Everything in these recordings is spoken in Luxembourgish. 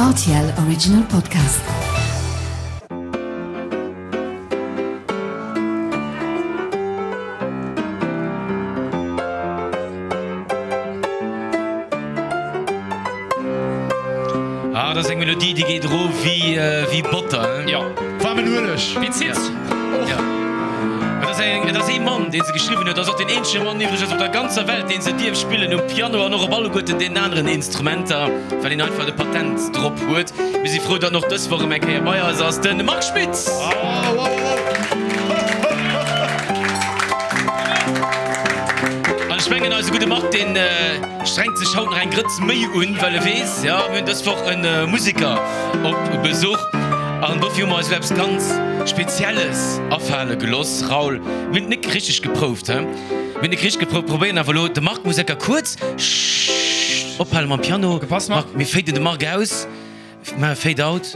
Rtl Original Podcast. Ah, dat ass eng Melodie, déi geet erof wéi, wéi Botter, hein? Jo. Waarmen Ueleg. Wéi Ziz. Och. Ja. Et ass eng, et ass ee Mann, dee se geschriwwen huet. Et ass och deen eenzege Mann iwwregens op der ganzer Welt, dee se dierf spillen um Piano an och op alleguerten deenen aneren Instrumenter, well hien einfach de Patent drop huet. Mir si frou, datt en och dës Woch erëm eng Kéier bei eis ass, de Marc Schmitz! An ech mengen, eise gudde Marc, deen strengt sech haut nach eng Grëtz méi un, well e weess, jo, mir hunn dës Woch e Museker op Besuch. An dofir hu mer eis elo eppes ganz Spezielles afale geloss. Raoul, mir hunn et nik richteg geprouft, he? Mir hunn nik richteg geprouft, probéieren awer elo de Marc muss enker kuerz, Schhh, ophale mam Piano. Opgepasst, Marc. Marc, mir faden de Marc aus, maache Fade out.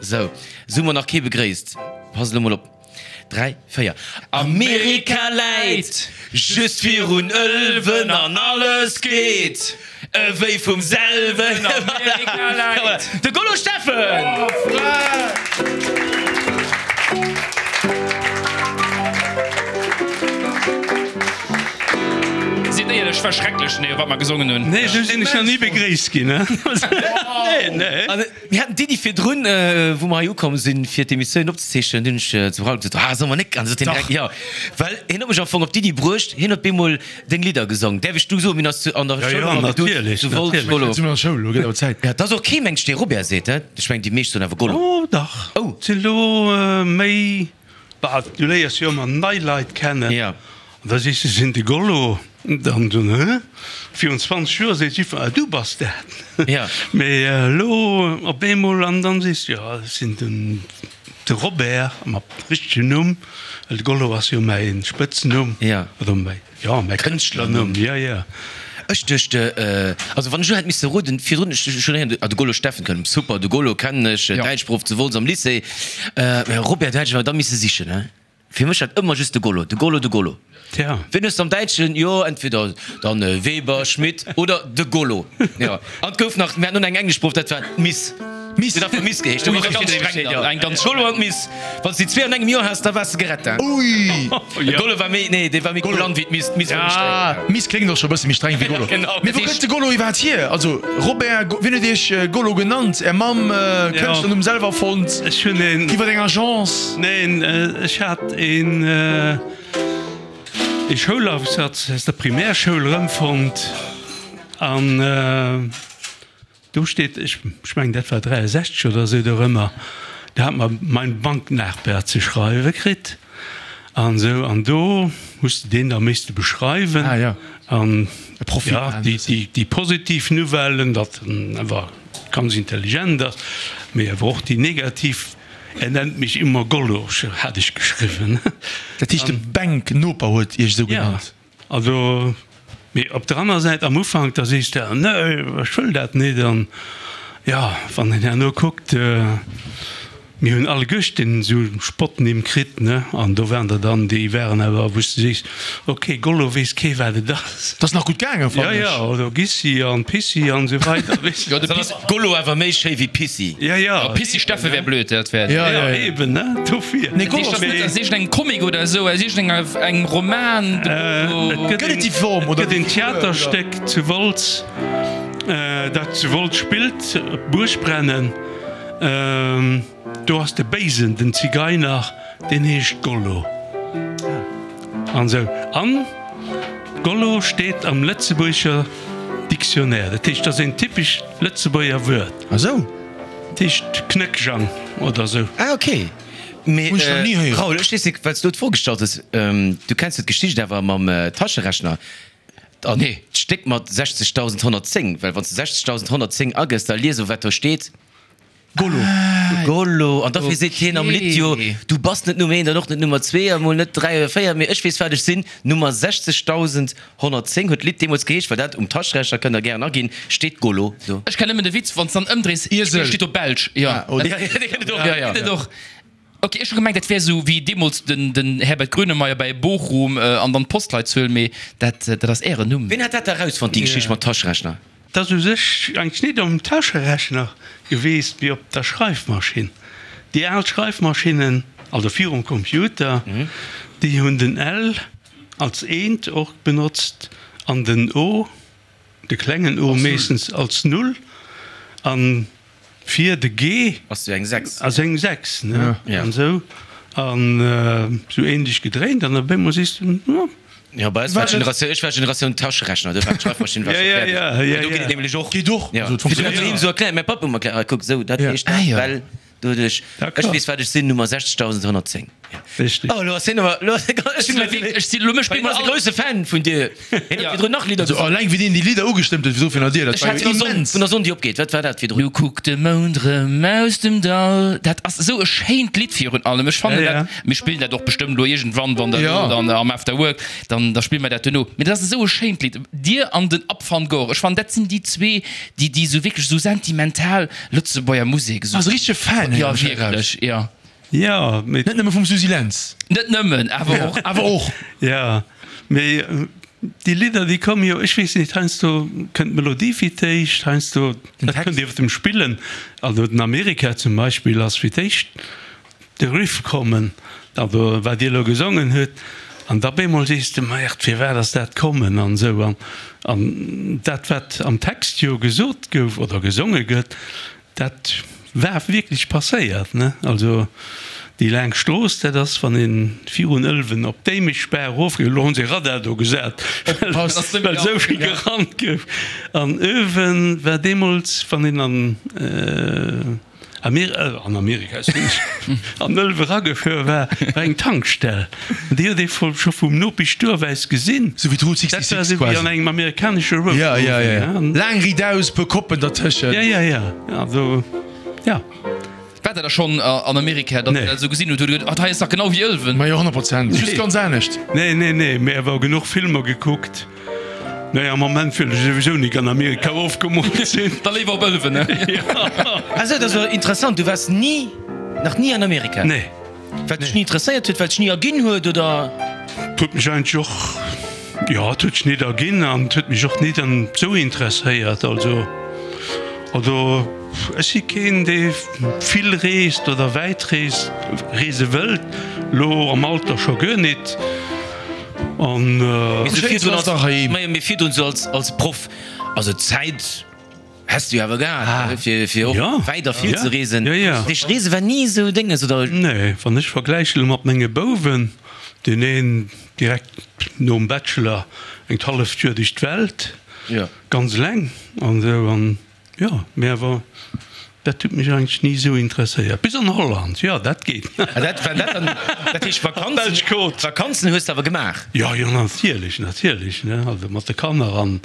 Sou, sou hu mer nach kee begréisst. Pass elo mol op. 3, 4. Amerika läit just virun Ëlwen an alles geet ewéi vum selwen. Amerika läit. De Gollo Steffen! Sidd éierlech, war schrecklech, nee, wat mer gesongen hunn. Nee, sou sinn ech nach ni begréisst ginn. Nee, nee. Mir haten d'Iddi virdrun, wou mer hei ukomm sinn, fir d'Emissioun opzezeechnen, dunn hunn ech zum Raoul gesot, Ah, solle mer nik? An du sot hien direkt, Jo. Well hien huet mech am Fong op d'Iddi bruecht, hien huet bemol deng Lidder gesong. Däerf ech du soen? Mir hunn eis zu an der Ja, Schoul ja, ëmmer gedutt, natierlech, zu Wolz, natierlech. Gollo. Sinn mer an der Schoul, elo gëtt awer Zäit. Ja, et ass och kee Mensch, dee Robert seet, he? Ech mengen, déi meescht soen awer Gollo. Oh, dach. Oh. Et sinn elo méi. Bah, du léiers jo ëmmer nei Leit kennen. Ja. An da sees de, sinn de Gollo. Dann soen, Hä? Virun 20 Joer seet jiddwer, Ah, du bass dat. Ja. Mee elo op eemol, an dann sees de, Jo, ech sinn den de Robert, mat richtegen Numm, well de Gollo ass jo mäi Spëtznumm. Ja. Oder mäi. Jo, mäi Kënschtlernumm, jo, jo. Ech duecht, also wann ech elo hätt misse roden, virdrun, ech hunn héieren, ah, de Golo Steffen kënnt, super, de Golo kennen ech, Däitschproff zu Wolz am Lycée, mä Robert, do hätt ech awer da misse sichen, he? Fir mech war et ëmmer just de Golo, de Golo, de Golo. Tja. Wien hues de am Däitschen? Jo, entweder dann Weber, Schmidt oder de Golo, jo. An et gouf nach, mir haten och nach eng englesch Proff, dat war d'Miss. Miss. Déi huet einfach Miss geheescht, do war ganz streng dann. Eng ganz Golo an d'Miss. Wann s de déi zwee an engem Joer has, da waars de gerett, hein. Ui! De Golo war méi, nee, dee war méi kulant wéi d'Miss. D'Miss war méi streng. Ja, Miss kléngt och scho e bësse méi streng wéi Golo. Genau. Mee wou kënnt de Golo iwwerhaapt hier? Also Robert, wien huet iech Golo genannt? Är Mamm, Kënschtlernumm selwer erfonnt? Ech hunn een. Iwwer eng Agence? Neen, ech hat een ee Schoulaufsatz aus der Primärschoul erëmfonnt an. Do steet, ech mengen dat war 63 oder esou dorëmmer, do hat mer Mein Banknachbar ze schreiwe kritt an esou an do hues de deen da misste beschreiwen an jo déi positiv Nouvellen, datt en awer ganz intelligent ass, mee awer och déi negativ, Er nennt mich immer Gollo, hat ech geschriwwen. Dat heescht de Bänknoper huet Iech esou genannt? Also, mee op der aner Säit, am Ufank, da sees de, Nee, ech wëll dat net. An jo, wann een herno kuckt, mir hunn alleguerten esou Spottnimm kritt, ne, an do waren der dann, déi waren awer, wou s de sees, ok, Gollo weess kee wat et ass. Dat ass nach gutt gaangen, fannen ech. Jo, jo, oder Gissi an Pissi an esou weider, weess de. Jo, de Pissi. Gollo awer méi schéi wéi Pissi. Jo, jo. Pissi Steffe wär blöd, dat wär. Jo, jo, eben, ne, dofir. Nee, Gollo ass net aus iergendengem Comic oder esou, aus iergendengem Roman, de Gollo. Et Gëtt et déi Form gëtt oder een Theaterstéck zu Wolz, dat zu Wolz spillt, Buergbrennen. Do ass de Béisen, den Zigeiner, deen heescht Gollo. An esou. An Gollo steet am Lëtzebuerger Dictionnaire. Dat heescht, dat ass een typesch Lëtzebuerger Wuert. Ah sou. Dat heescht Knéckjang oder esou. Ah ok. Mee Hunn ech nach ni héieren. Raoul, ech weess net, well s du d'Fro gestallt hues, du kenns jo d'Geschicht awer mam Taschenrechner an d'Stéck mat 60.110, well wann s de 60.110 agëss, da lies of wat do steet. Gollo. Gollo. An dofir seet hien am Lidd jo, Du bass net Nummer eent an och net Nummer zwee a mol net dräi oder véier, mee ech weess wat ech sinn, Nummer 60110 huet d'Lidd deemools geheescht, well dat um Taschenrechner, kënnt der gären aginn, steet Gollo do. Ech kennen nëmmen de Witz, wann s dann ëmdréis, Iesel. steet do Belsch. Jo, Ja, dee kennt et och, ja, ja. Gëtt et och. Ok, ech hu gemengt, dat wär esou wéi deemools den den Herbert Grönemeyer bei Bochum an dann d'Postleitzuel, mee dat dat ass ären Numm. Wien hat dat da erausfonnt, déi Geschicht mat Taschenrechner? Et ass u sech eigentlech nit um Taschenrechner geweest, mee op der Schreifmaschinn. Déi al Schreifmaschinnen, also virum Computer, déi hunn den L als Eent och benotzt an den O, de klengen O meeschtens als Null an fir de G Ass jo eng 6. Ass eng 6, ne? An esou an esou ähnlech gedréint an op eemol sees du, oh. Jo, bei eis war d'Generatioun, ech war Generatioun Taschenrechner, do war d'Schreifmaschinn war scho fäerdeg. Mä do geet et nämlech och. Geet och. Ja. Fir dat doheem esou erklären, mäi Papp huet mer erkläert, ah kuck, esou, dat heescht dat, well doduerch, ech weess wat ech sinn, Nummer 60110. Richtig. Oh, elo ass hien awer, elo ass hie ganz, ech sinn Ech sinn elo, mech Hien ass e grousse Fan vun dir. Hien huet virdrun nach Lidder Also gesongen. alleng wéi deen déi Lidder ugestëmmt huet, wéi fir dir, dat Ech war hat jo vun der Sonn, immens. vun der Sonn déi opgeet, wat war dat virdrun? Nu kuckt de Mound rëm aus dem Dall. Dat ass esou e schéint Lidd virun allem. Ech fannen Ja, ja. dat, mir spillen dat och bestëmmt elo iergendwann, wann der Ja. elo dann am After Work, dann da spille mer dat duerno. Mee dat ass esou e schéint Lidd. Dir an den Ab van Gogh, ech fannen dat sinn déi zwee, déi déi esou wierklech esou sentimental Lëtzebuerger Musek esou. Ass e richtege Fan, Ja, héieren ech eraus. wierklech, ja. Ja, mee. Net nëmme vum Suzy Lentz. Net nëmmen, awer och. Awer och. Ja, mee déi Lidder, déi komme jo, ech weess net, heiansdo kënnt d'Melodie fir d'éischt, heiansdo, dat kënnt iwwer dem Spillen, also den Amerika zum Beispill ass fir d'éischt de Riff kommen, also wat Dir elo gesongen hutt, an da bemol sees de, Merde, firwat ass dat kommen an esou. An, an dat, wat am Text jo gesot gouf oder gesonge gëtt, Dat war wierklech passéiert, ne? Also déi laang Strooss, dat ass, wann ee virun Ëlwen op d'Éimeschbaach erofgeet, elo hunn se e Radar do gesat, well esou vill gerannt gouf. An Ëlwen war deemools, wann een an an Amerika, soen ech, an Ëlwe eragefuer war, war eng Tankstell. An déi huet ee scho vum Nopeschduerf aus gesinn. Sou wéi d'Route Dat 66 war esou wéi quasi. an engem amerikanesche Road Ja, ja, Movie, ja. ne? Laang riidaus, puer Koppen dertëschent. Ja, ja, ja. Also, ja. Waart der da schonn an Amerika, datt Nee. der dat esou gesinn hutt, hutt der geduet, ah, hei ass dach genau wéi Ëlwen? Ma jo, 100 Prozent. Just ganz anescht. Nee, nee, nee, mee awer genuch Filmer gekuckt. Nee, am Moment wëll ech souwisou nik an Amerika ofgemoolt sinn. Da léiwer op Ëlwen, ne? Ah sou, dat ass jo interessant, du waars ni, nach ni an Amerika? Nee. Well dech ni interesséiert huet, well dech ni erginn huet, oder? Et huet mech eigentlech och, jo, et huet sech nit erginn an et huet mech och nit an esou interesséiert. Also, also ech si keen, dee vill reest oder wäit reest, reese wëllt, elo am Alter scho guer nit. An. Mee sou virdrun ass dach heiheem. Majo, mee virdrun sou als, als Proff, also d'Zäit häss du jo awer gehat, fir, fir och Ja. wäit a vill Ja. ze reesen. Ja, ja. Dat heescht, Reese war ni esou Dénges, oder? Nee, wann ech vergläiche elo mat menge Bouwen, deen een direkt nom Bachelor eng d'halleft Joer duerch d'Welt, Ja. ganz eleng an esou, an Jo, mee awer dat huet mech eigentlech ni esou interesséiert. Bis an Holland, jo, dat geet. Ah, dat war dat dann, dat heescht Vakanzen, Belsch Côte. Vakanzen hues de awer gemaach? Jo, jo, natierlech, natierlech, ne, also mat de Kanner an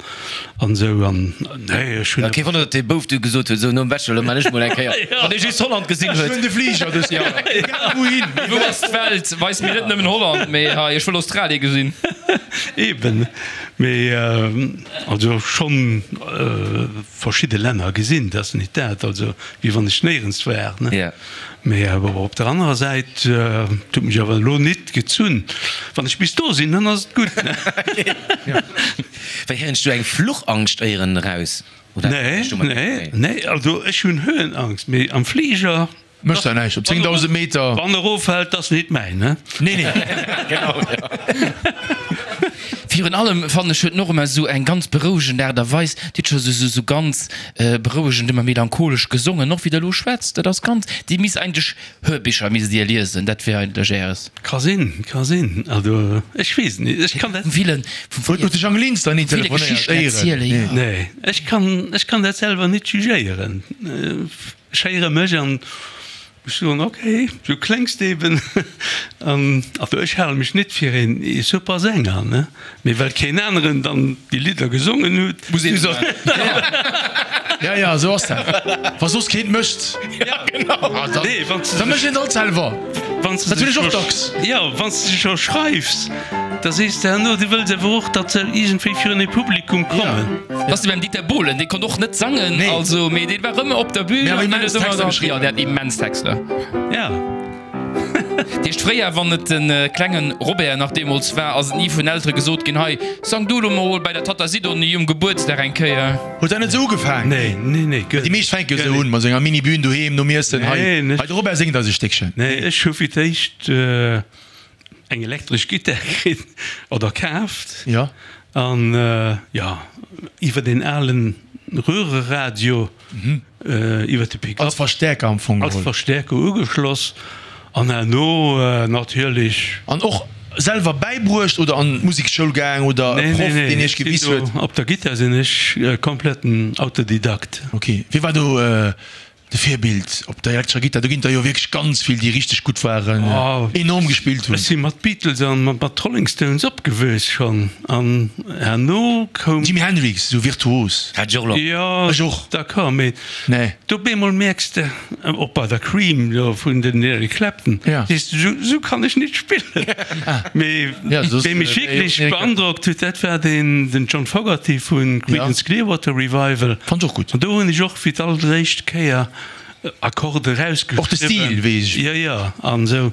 an esou an, nee, ech hunn. Ja, kee Wonner, datt dee Bouf du gesot huet, esou nom Bachelor, elo man ech mol eng Kéier, wann dee just Holland gesinn Ech huet. huelen de Fliger dës Joer, egal wouhin. Wou ass d'Welt? Weis mir net nëmmen Holland, mee hei, ech wëll Australie gesinn. Eben, mee also schonn verschidde Länner gesinn, dat ass nit dat, also wéi wann ech néierens war, ne. Ja. Mee awer op der anerer Säit, et huet mech awer elo nit gezunn. Wann ech bis do sinn, dann ass et gutt, ne. Wéi héieren ech do eng Fluchangscht éieren eraus, oder? Nee, nee, nee, also ech hunn Höhenangst, mee am Fliger Mécht der näischt op 10.000 Meter. Wann eroffält, ass nit mäin, ne? Nee, nee. Genau, ja. Virun allem fannen ech huet en och ëmmer esou eng ganz berouegend Aart a Weis. Dir hutt scho sou sou ganz berouegend, ëmmer melancholesch gesongen, och wéi der elo schwätzt. Dat ass ganz, Dir misst eigentlech Hörbicher misst Dir liesen, dat wär eigentlech Äres. Ka sinn, ka sinn. Also ech weess et nit, ech kann dat. Vum Willen, vum Huet huet de Jang Linster ni ville telefonéiert, Geschichten éieren? erzielen, jo. Nee, ech kann, ech kann dat selwer nit jugéieren. Ech héiere mech an ech soen, ok, du kléngs eben. An also ech hale mech net fir een super Sänger, ne, mee well keen aneren dann déi Lidder gesongen huet, Muss een muss Ja, ja, esou ass dat. Wa soss keen et mécht, dann, nee, wann da mécht een et alt selwer. Wann s Dat de hunn ech och scho, dacks. jo, wann s de scho schreifs, da sees de herno, du wëlls awer och, datt se iergendwéi virun e Publikum kommen. Dat ass wéi beim Dieter Bohlen, dee konnt och net sangen, Nee. also, mee dee war ëmmer op der Bühn Mee awer an deen immens huet ëmmer Texter dann, geschriwwen. jo, dee hat immens Texter. Ja. Dat heescht, fréier, wann et de klenge Robert nach deemools war, ass et ni vun Eltere gesot ginn, Hei, sang du elo mol bei der Tatta Sidonie um Gebuertsdag eng Kéier. Huet dat net esou ugefaang? Nee, nee, nee, guer Déi meescht fänke jo esou un, mat esou enger Mini-Bühn doheem nom Iessen, Hei, hei, de Robert séngt eis e Stéckchen. Nee, ech hu fir d'éischt eng elektresch Gittar kritt oder kaaft. Jo. An, jo, iwwer deen alen Röhreradio. Iwwer de Pick-up. Als Verstäerker am Fong geholl. Als Verstäerker ugeschloss an herno natierlech. An och selwer bäibruecht oder an d'Musekschoul gaang oder e Proff deen iech gewiss huet? Nee, nee, op der Gittar sinn ech kompletten Autodidakt. Ok, wie war do de Virbild op der elektrescher Gittar? Do ginn der jo wierklech ganz vill déi richteg gutt waren, enorm gespillt hunn. Ech si mat Beatles an mat Rolling Stones opgewuess schonn an Herno koum. Jimi Hendrix, esou virtuos. Hat ech och lo. Jo, Ech och. d'accord, mee Nee. do op eemol mierks de, och bei der Cream do vun den Eric Clapton, Ja. sees de, sou, sou kann ech nit spillen. Mee Ja, soss, wee mech wär jo wierklech Eric Clapton. beandrockt huet, dat war deen, den John Fogerty vu Creedence Clearwater Revival. Fand ech och gutt. An do hunn ech och fir d'alleréischt Kéier Akkorde erausgeschriwwen. Och de Stil, weess ech. Jo, jo, an esou.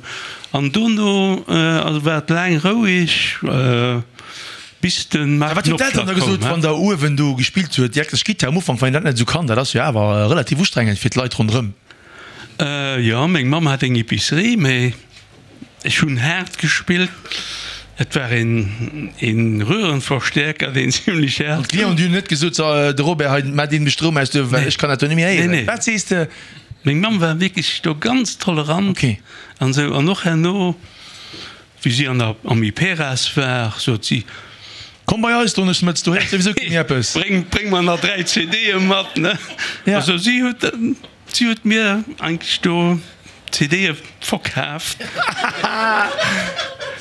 An dono, also war et laang roueg. Bis de Marc Wat hunn d'Elteren da gesot, wann der uewen do gespillt huet, déi elektresch Gittar am Ufank, wann een dat net esou kann, dat ass jo awer relativ ustrengend fir d'Leit ronderëm? Jo, meng Mamm hat eng Epicerie, mee ech hunn haart gespillt. Et war een een Röhrenverstärker, deen zimlech haart. An d'Clienten, déi hunn net gesot, so de Robert hei, maach deen de Stroum aus do, well ech kann dat do net méi héieren. Nee, nee. Wat sees de? Meng Mamm war wierklech do ganz tolerant an esou. An och herno. Wéi si an der am Iperas war, sot si. Komm bei eis Donneschdemëtz, do héiert souwisou kee méi eppes. Bréng, bréng mer nach 3 CDe mat, ne? Ja. Also si huet, si huet mir eigentlech do CDe verkaaft.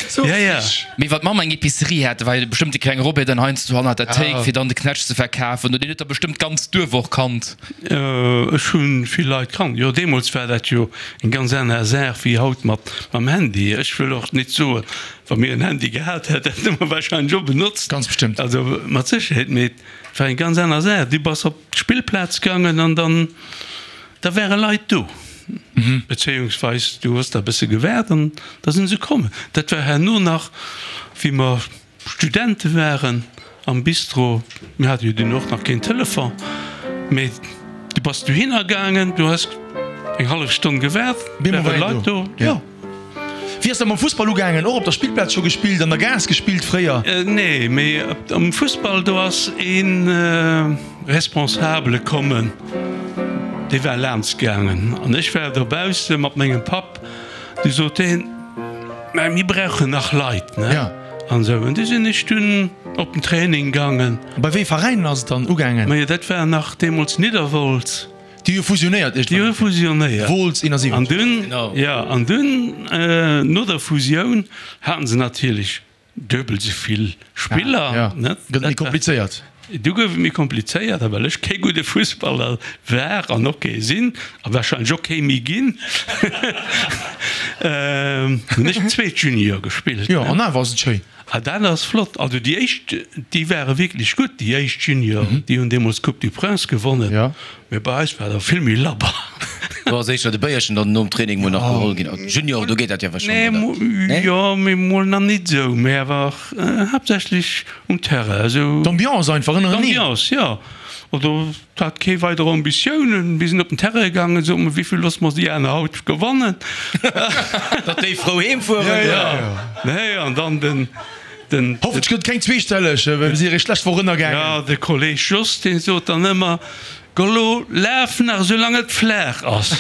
Sou Ja, ja. frech. Mee wann d'Mamm eng Epicerie hat, da war jo bestëmmt de klenge Robert dann heiansdo hannert der Théik, fir dann de Knätsch ze verkafen. Oder deen huet der bestëmmt d'ganz Duerf och kannt. Ech hu vill Leit kannt. Jo, deemools war dat jo eng ganz aner Saach wéi haut mat mam Handy. Ech wëll och nit soen, wa mir en Handy gehat hätten, hätte mer wahrscheinlech och benotzt. Ganz bestëmmt. Also mat Sécherheet. Mee et war eng ganz aner Saach. Du bass op d'Spillplaz gaangen an dann, da ware Leit do. Bezéiungsweis du hues da e bësse gewaart an da si se kommen. Dat war herno nach, wéi mer. Studente waren am Bistro, mir hate jo dunn och nach keen Telefon, mee du bass dohinner gaangen, du hues eng hallef Stonn gewaart, ware Leit do, jo. Wéi ass dat mam Fussball ugaangen? Och op der Spillplaz scho gespillt, an der Gaass gespillt fréier? Nee, mee am Fussball, do ass ee Responsabele kommen, dee war laanscht gaangen an ech war dobausse mat mengem Papp, du sot deen, Mä mir brauchen nach Leit, ne? An esou. An du sinn ech dunn op den Training gaangen. Bei wéi Veräinen ass et dann ugaangen? Majo, dat war nach deemools Nidderwolz. Déi hu fusionéiert iergendwann. Déi hu fusionéiert. Wolz 71. An dunn, jo, an dunn no der Fusioun haten se natierlech duebel esou vill Spiller, ne? Gëtt et méi komplizéiert. Du gouf et méi komplizéiert, a well ech kee gudde Fussballer war an och kee sinn, a warscheinlech och kee méi ginn, hunn ech zweet Junior gespillt. Jo, an awer ass et schéin. A dat ass flott. Also déi éischt, déi ware wierklech gutt, déi éischt Junior, déi hunn deemools d'Coupe du Prince gewonnen. Mee bei eis war da vill méi labber. Do ass éischter de Béierchen dann nom Training mol nach geholl ginn. Junior, do geet dat jo wahrscheinlech, oder? Nee, jo, mee mol nach nit esou, mee awer haaptsächlech um Terrain esou. D'Ambiance einfach ënnereneen. D'Ambiance, jo. Also et hat kee weider Ambitiounen. Mir sinn op den Terrain gaangen, soe mer, wéivill loosse mer déi aner haut gewannen? Datt déi frou heem fueren. Jo, nee, an dann den, den. Hoffentlech gëtt et keng zweestelleg, well mir si eréischt d'lescht Woch ënnergaangen. Jo, de Kolleg Jos, dee sot dann ëmmer, Gollo, laf nach esou lang et flaach ass.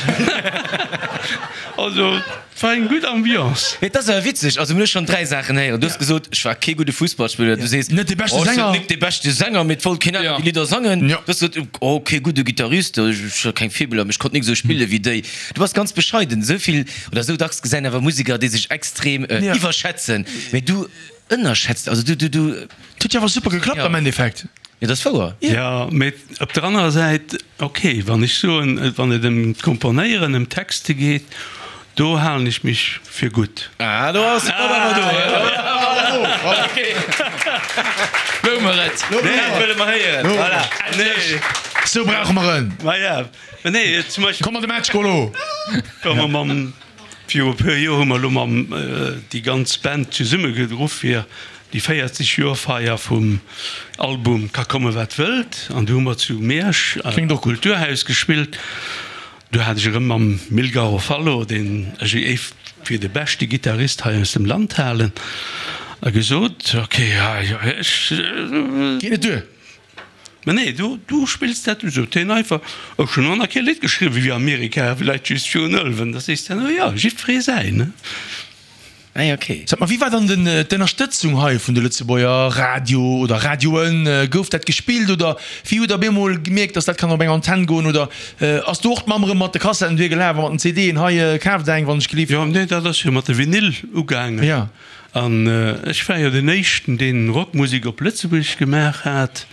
Also, et war eng gutt Ambiance. Et ass awer witzeg, also mir hu schonn 3 Saachen héieren. Du hues gesot, ech war kee gudde Fussballspiller. Du sees, Net dee beschte oh, ech sinn Sänger. net dee beschte Sänger, mee et wollt keen aner déi Lidder sangen. Du hues gesot, oh, kee gudde Gittarist, ech hu keng Virbilder, mee ech konnt nik esou spille wéi déi. Du bass ganz bescheiden. Esou vill oder esou dacks gesäin awer Museker, déi sech extrem iwwerschätzen, mee du ënnerschätzt, also du, du, du. Et huet jo awer super geklappt am Endeffekt. Jo, dat ass wouer. Jo, mee op der anerer Säit, ok, wann ech soen, wann et ëm d'Komponéieren, ëm d'Texte geet, do halen ech mech fir gutt. Ah, do ass de Papp awer do. Lou mer et. Dat wëlle mer héieren. Voilà. Nee. Sou brauche mer en. Ma ja, nee, zum Beispill. Komm an de Match, Golo! Wa mer mam. Viru e puer Joer hu mer elo mam déi ganz Band zesumme geruff fir déi 40 Joer Feier vum Album Ka komme wat wëllt an du hu mer zu Miersch am Kulturhaus gespillt. Do hat ech erëm mam Mil Garofalo, deen ech éif fir de beschte Gittarist hei aus dem Land halen, gesot, ok, ech. Geet net duer. Mä nee, du, du spills dat du, sot hien einfach. Ech hunn och nach kee Lidd geschriwwen wéi Amerika, vläicht just virun Ëlwen. Da sees de, no jo, jiddweree säin, ne? Ah jo, ok. Sag mal, wéi war dann den d'Ënnerstëtzung hei vun de Lëtzebuerger Radio oder Radioen? Gouf dat gespillt oder wéi hutt der op eemol gemierkt, dass dat kann op eng Antenn goen? Oder ass do och d'Mamm erëm mat de Kassetten duer gelaf a mat den CDen, hei kaaft eng wann ech gelift? Jo, nee, dat ass jo mat de Vinyl ugaangen. Jo. An ech war jo den éischten, deen Rockmusek op Lëtzebuergesch gemaach hat.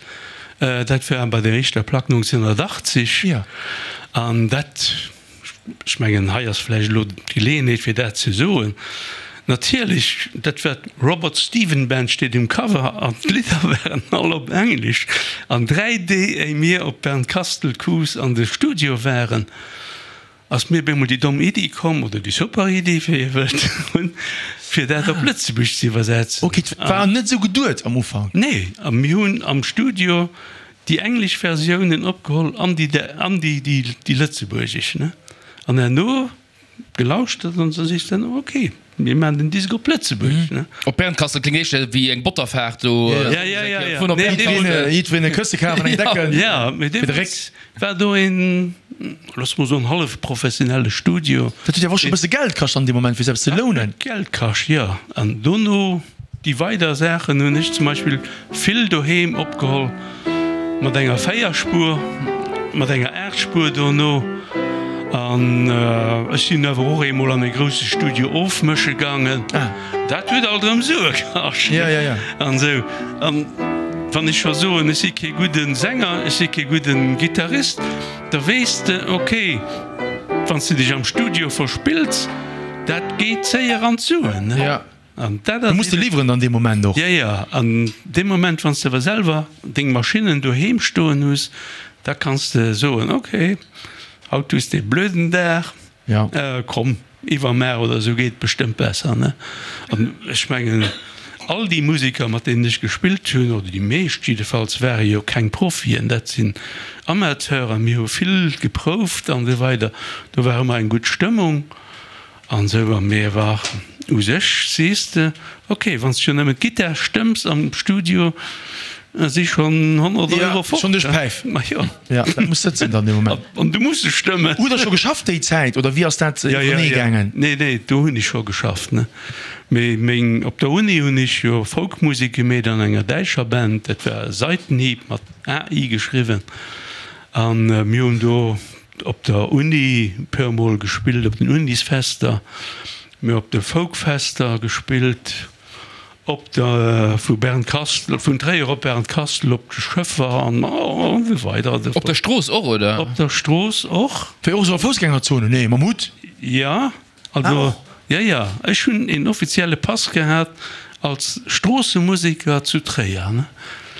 Dat war bei der éischter Plack 1980. An dat, ech mengen, hei ass vläicht elo d'Geleeënheet, fir dat ze soen, natierlech, dat war d'Robert Stephen Band steet um Cover an d'Lidder waren all op Englesch. An 3 Dee, éi mir op Bernkastel-Kues an de Studio waren, Ass mir bemol déi domm Iddi komm, oder déi super Iddi, wéi Dir wëllt, fir dat op Lëtzebuergesch ze iwwersetzen. Ok, et war net esou geduet am Ufank? Nee, a mir hunn am Studio déi englesch Versiounen opgeholl an déi, an déi, déi lëtzebuergesch, ne? An herno gelauschtert an da sees de, ok, mir maachen den Disk op Lëtzebuergesch, ne? Op Bernkastel kléngt éischter wéi eng Botterfaart do. Ja, ja, ja, ja. Vun op Bernkastel. Jiddwereen e Kësse kaf an eng Decken. Ja, mee fir de Réck. deemools war do een. Looss mol soen, hallef professionelle Studio. Dat huet jo awer och scho e bësse Geld kascht an deem Moment, fir se eppes ze lounen. Geld kascht, jo. An dono déi weider Saachen hunn ech zum Beispill vill doheem opgeholl mat enger Véierspur, mat enger Aachtspur dono. An ech sinn awer och eemol an e grousse Studio ofmësche gaangen. Dat huet alt erëm Sue kascht. An esou. An wann ech scho soen, ech si kee gudde Sänger, ech si kee gudde Gittarist, Da weess de, ok, wann s de dech am Studio verspills, dat geet séier an d'Suen. Ja. An dat Du ass muss de eben. liwweren dann dee Moment och. Ja, ja. An dee Moment, wann s de awer selwer deng Maschinnen doheem stoen hues, da kanns de soen, ok, haut hues de e blöden Dag, Ja. komm, Iwwermaach oder esou geet bestëmmt besser, ne? An ech mengen, all déi Museker, mat deenen ech gespillt hunn, oder déi meescht jiddefalls, ware jo keng Profien, dat sinn Amateuren. Mir hu vill geprouft an esou weider, do war ëmmer eng gutt Stëmmung an esou. A mir war u sech, sees de, ok, wann s de jo nëmmen d'Gittar stëmms am Studio, si schonn 100 Euro fort. Schonn duerch d'Päif. Ma jo. Ja, dat muss sëtzen dann dee Moment. An du muss se stëmmen. Hutt Der scho geschafft déi Zäit oder wéi ass dat iwwernee gaangen? Nee, nee, do hunn ech scho geschafft, ne. Mee meng, op der Uni hunn ech jo Folkmusek gemeet an enger däitscher Band, dat war Seitenhieb mat AI geschriwwen. An mir hunn do op der Uni e puer mol gespillt, op den Unisfester, mir op de Folkfester gespillt. Op der vu Bernkastel, vun Tréier op Bernkastel, op de Schëffer an esou weider. Op der Strooss och, oder? Op der Strooss och. Wéi och esou a Foussgängerzone? Nee, mam Hutt? Jo, also, jo, jo, ech hunn een offizielle Pass gehat als Stroossemuseker zu Tréier, ne?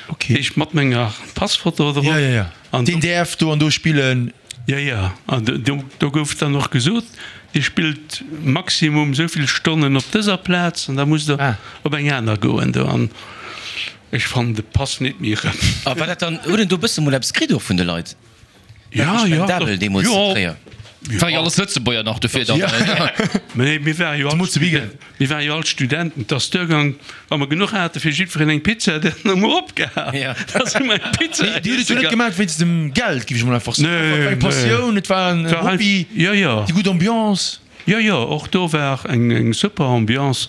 Ok. Ech mat menger Passfoto drop. Jo, jo, jo. An Deen däerf do an do spillen. Jo, jo, an do, do gouf dann och gesot, Dir spillt maximum esou vill Stonnen op dëser Plaz an da musst Der op eng aner goen do. An ech fannen de Pass nit méi erëm. A war dat dann, huet een do e bësse mol eppes kritt och vun de Leit? Ja, jo, Respendabel deemools zu jo. Tréier. War jo alles Lëtzebuerger nach dofir dann. Mä nee, mir ware jo all Studenten, mir ware jo all Studenten. Et ass duergaang, wa mer genuch hate fir jiddwereen eng Pizza, dann hu mer opgehal. Da si mer eng Pizza Mee Dir hutt et iesse jo net gaang. gemaach wéinst dem Geld, géif ech mol einfach soen. Et war Nee, eng Passioun, et war en Et war Hobby, jo, jo. déi gutt Ambiance. Jo, jo, och do war eng, eng super Ambiance.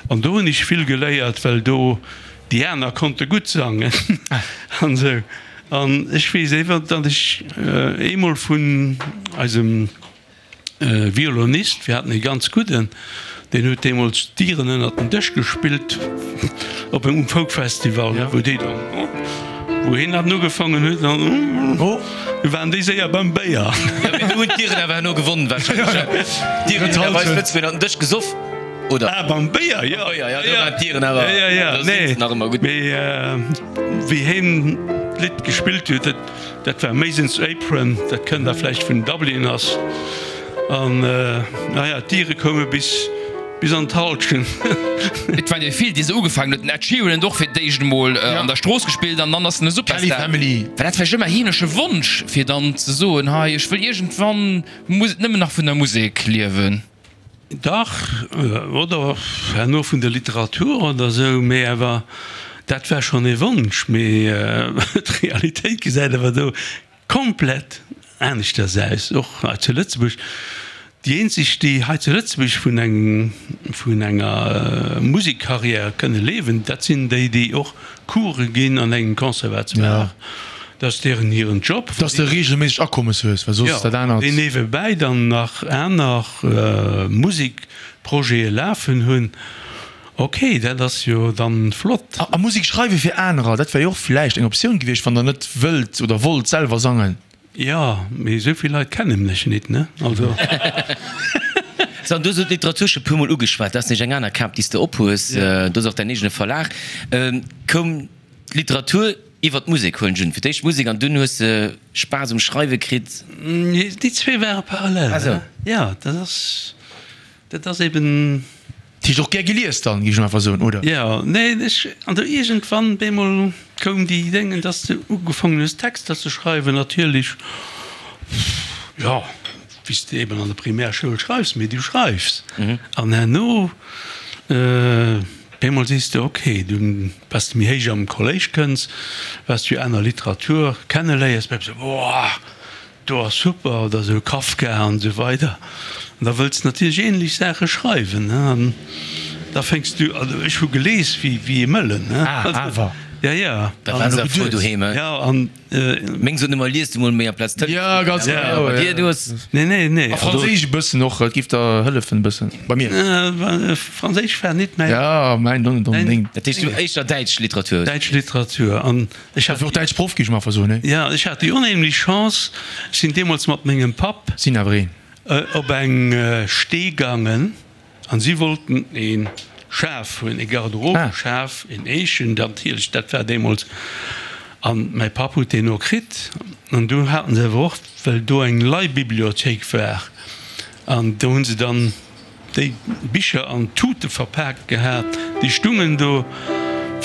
An do hunn ech vill geléiert, well do déi aner konnte gutt sangen an esou. An ech weess ewer, datt ech eemol vun eisem Violonist, mir haten ee ganz gudden, deen huet deemools d'Dieren ënnert den Dësch gespillt op engem Folkfestival, wou déi dann, wou hien dann ugefaangen huet, dann du waren déi séier beim Béier. Jo, mee do hunn d'Iren awer herno gewonnen wahrscheinlech. D'Iren hunn awer eis Lëtzebuerger ënnert den Dësch gesoff, oder? Ah, beim Béier, jo. Beim Béier, jo, do waren d'Iren awer, do sinn se nach ëmmer gutt. Mee. Wéi heen d'Lidd gespillt huet, dat war Mason's Apron, dat kënnt der vläicht vun Dublin ass. An naja, d'Diere koume bis bis an d'Halschent. Et waren jo vill, déi se ugefaangen huet. Den Ed Sheeran huet och fir d'éischt emol an der Strooss gespillt an dann ass en e Kelly Superstar. Family. War dat vläicht ëmmer heemleche Wonsch, fir dann ze soen, hei ech wëll iergendwann nëmmen nach vun der Musek liewen? Dach, oder herno vun der Literatur oder esou, mee awer dat war schonn ee Wonsch. Mee d'Realitéit gesäit awer do komplett aneschters aus, och hei zu Lëtzebuerg. Déi eenzeg, déi hei zu Lëtzebuerg vun engem, vun enger Musekkarriär kënne liewen, dat sinn déi, déi och Course ginn an engem Conservatoire. Dat ass deeren hiren Job. Dass de reegelméisseg Akommes hues, well soss dat anert. Jo, déi niewebäi dann nach aner Musekprojete lafen hunn. Ok, dat ass jo dann flott. A Musek schreiwe fir anerer, dat wär jo och villäicht eng Optioun gewiescht, wann der net wëllt oder wollt selwer sangen. Jo, mee esou vill Leit kennen mech nit, ne? Also. So, an du hues elo d'Literatur scho puer mol ugeschwat. Dat ass nämlech eng aner Kap, déi s de ophues. Du hues och däin eegene Verlag. Koum d'Literatur iwwer d'Musek, huelen ech un? Fir d'éischt d'Musek an dunn hues de Spaass um Schreiwe kritt? Déi zwee ware parallel. Ah sou. Jo, dat ass. Dat ass eben. Dat heescht och gär gelies dann, géif ech einfach soen, oder? Jo, nee, ech, an do iergendwann bemol koum déi Déngen, dass de ugefaangen hues Texter ze schreiwen, natierlech, jo, wéi s de eben an der Primärschoul schreifs, mee du schreifs. An herno bemol sees de, okay, du, wat s de méi héich am Kolléisch kënns, wat s du aner Literatur kenneléiers, bleiws de, Boah, Do ass super, oder esou Kafka an esou weider. An da wëlls de natierlech ähnlech Saache schreiwen, ne? An da fänks du, also ech hu gelees wéi wéi e Mëllen, ne? Ah, awer. Ja, ja. Da waren se frou doheem, he? Ja, an. Meng sot ëmmer, lies du mol méi amplaz Telefon. Ja, ganz genau. Bei dir, du hues. Nee, nee, nee. A Franséisch e bëssen och, et giff der hëllefen e bëssen. Bei mir. Franséisch war nit mäin. Ja, mäin net onbedéngt. Dat heescht, du éischter däitsch Literatur? Däitsch Literatur an. Ech hat och däitsch Proff, géif ech mol einfach soen, ne? Jo, ech hat déi onheemlech Chance, ech sinn deemools mat mengem Papp. Sinn awer een. Op eng Stee gaangen an si wollten ee Schaf hunn, ee Garderobeschaf, een Eechen natierlech, dat war deemools. An mäi Papp huet deen och kritt. An du haten se awer och, well do eng Leihbibliothéik war, an do hu se dann. Déi Bicher an Tute verpaakt gehat, déi stungen do.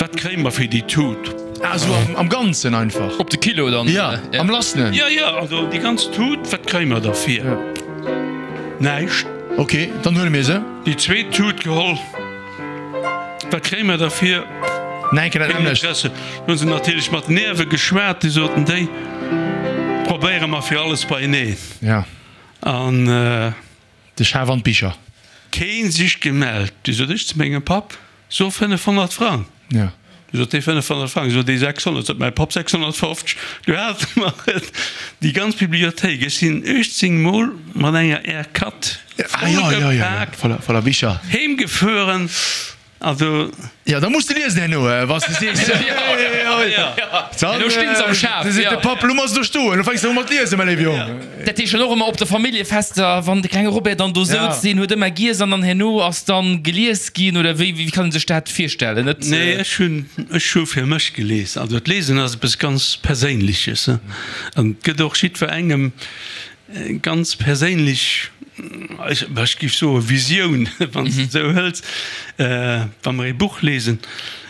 Wat kréie mer fir déi Tut? Ah sou am Ganzen einfach? Op de Kilo dann? Jo, am Lassenen? Jo, jo, also déi ganz Tut, wat kréie mer derfir? Näischt. Ok, dann huele mir se. Déi zweet Tut geholl. Wat kréie mer derfir? Näiken, dat Keen nämmlecht. Interesse. Du hunn se natierlech mat Nerve geschwat, déi soten, déi probéiere mer fir alles beieneen. Ja. An. De Schaf an d'Bicher. Keen sich gemellt. Du sot ech zu mengem Papp, So 500 Frang. Ja. Du sot dee 500 Frang, sot dee 600, sot mäi Papp 650. Du hate mer et, déi ganz Bibliothéik. Ech sinn 18 Mol mat enger R4 Ah, ja, ja, ja, ja. vollgepaakt Voller, voller Bicher. heemgefueren. Also. Ja, da muss de liesen herno, wann s de sees. Elo stinn se am Schaf. Seet de Papp, elo muss de do stoen, elo fänks de u mat liesen, mäi léiwe Jong. Dat heescht dann och ëmmer op de Familljefester, wann de klenge Robert dann do souz, deen huet ëmmer giess an dann herno ass dann gelies ginn, oder wéi, wéi kann een sech dat virstellen? Net. Nee, ech hunn, ech hu fir mech gelies. Also d'Liesen ass eppes ganz Perséinleches an et gëtt och jiddwerengem Ganz perséinlech, ech géif soe Visioun, wann s de et esou hëls. Wa mer ee Buch lesen,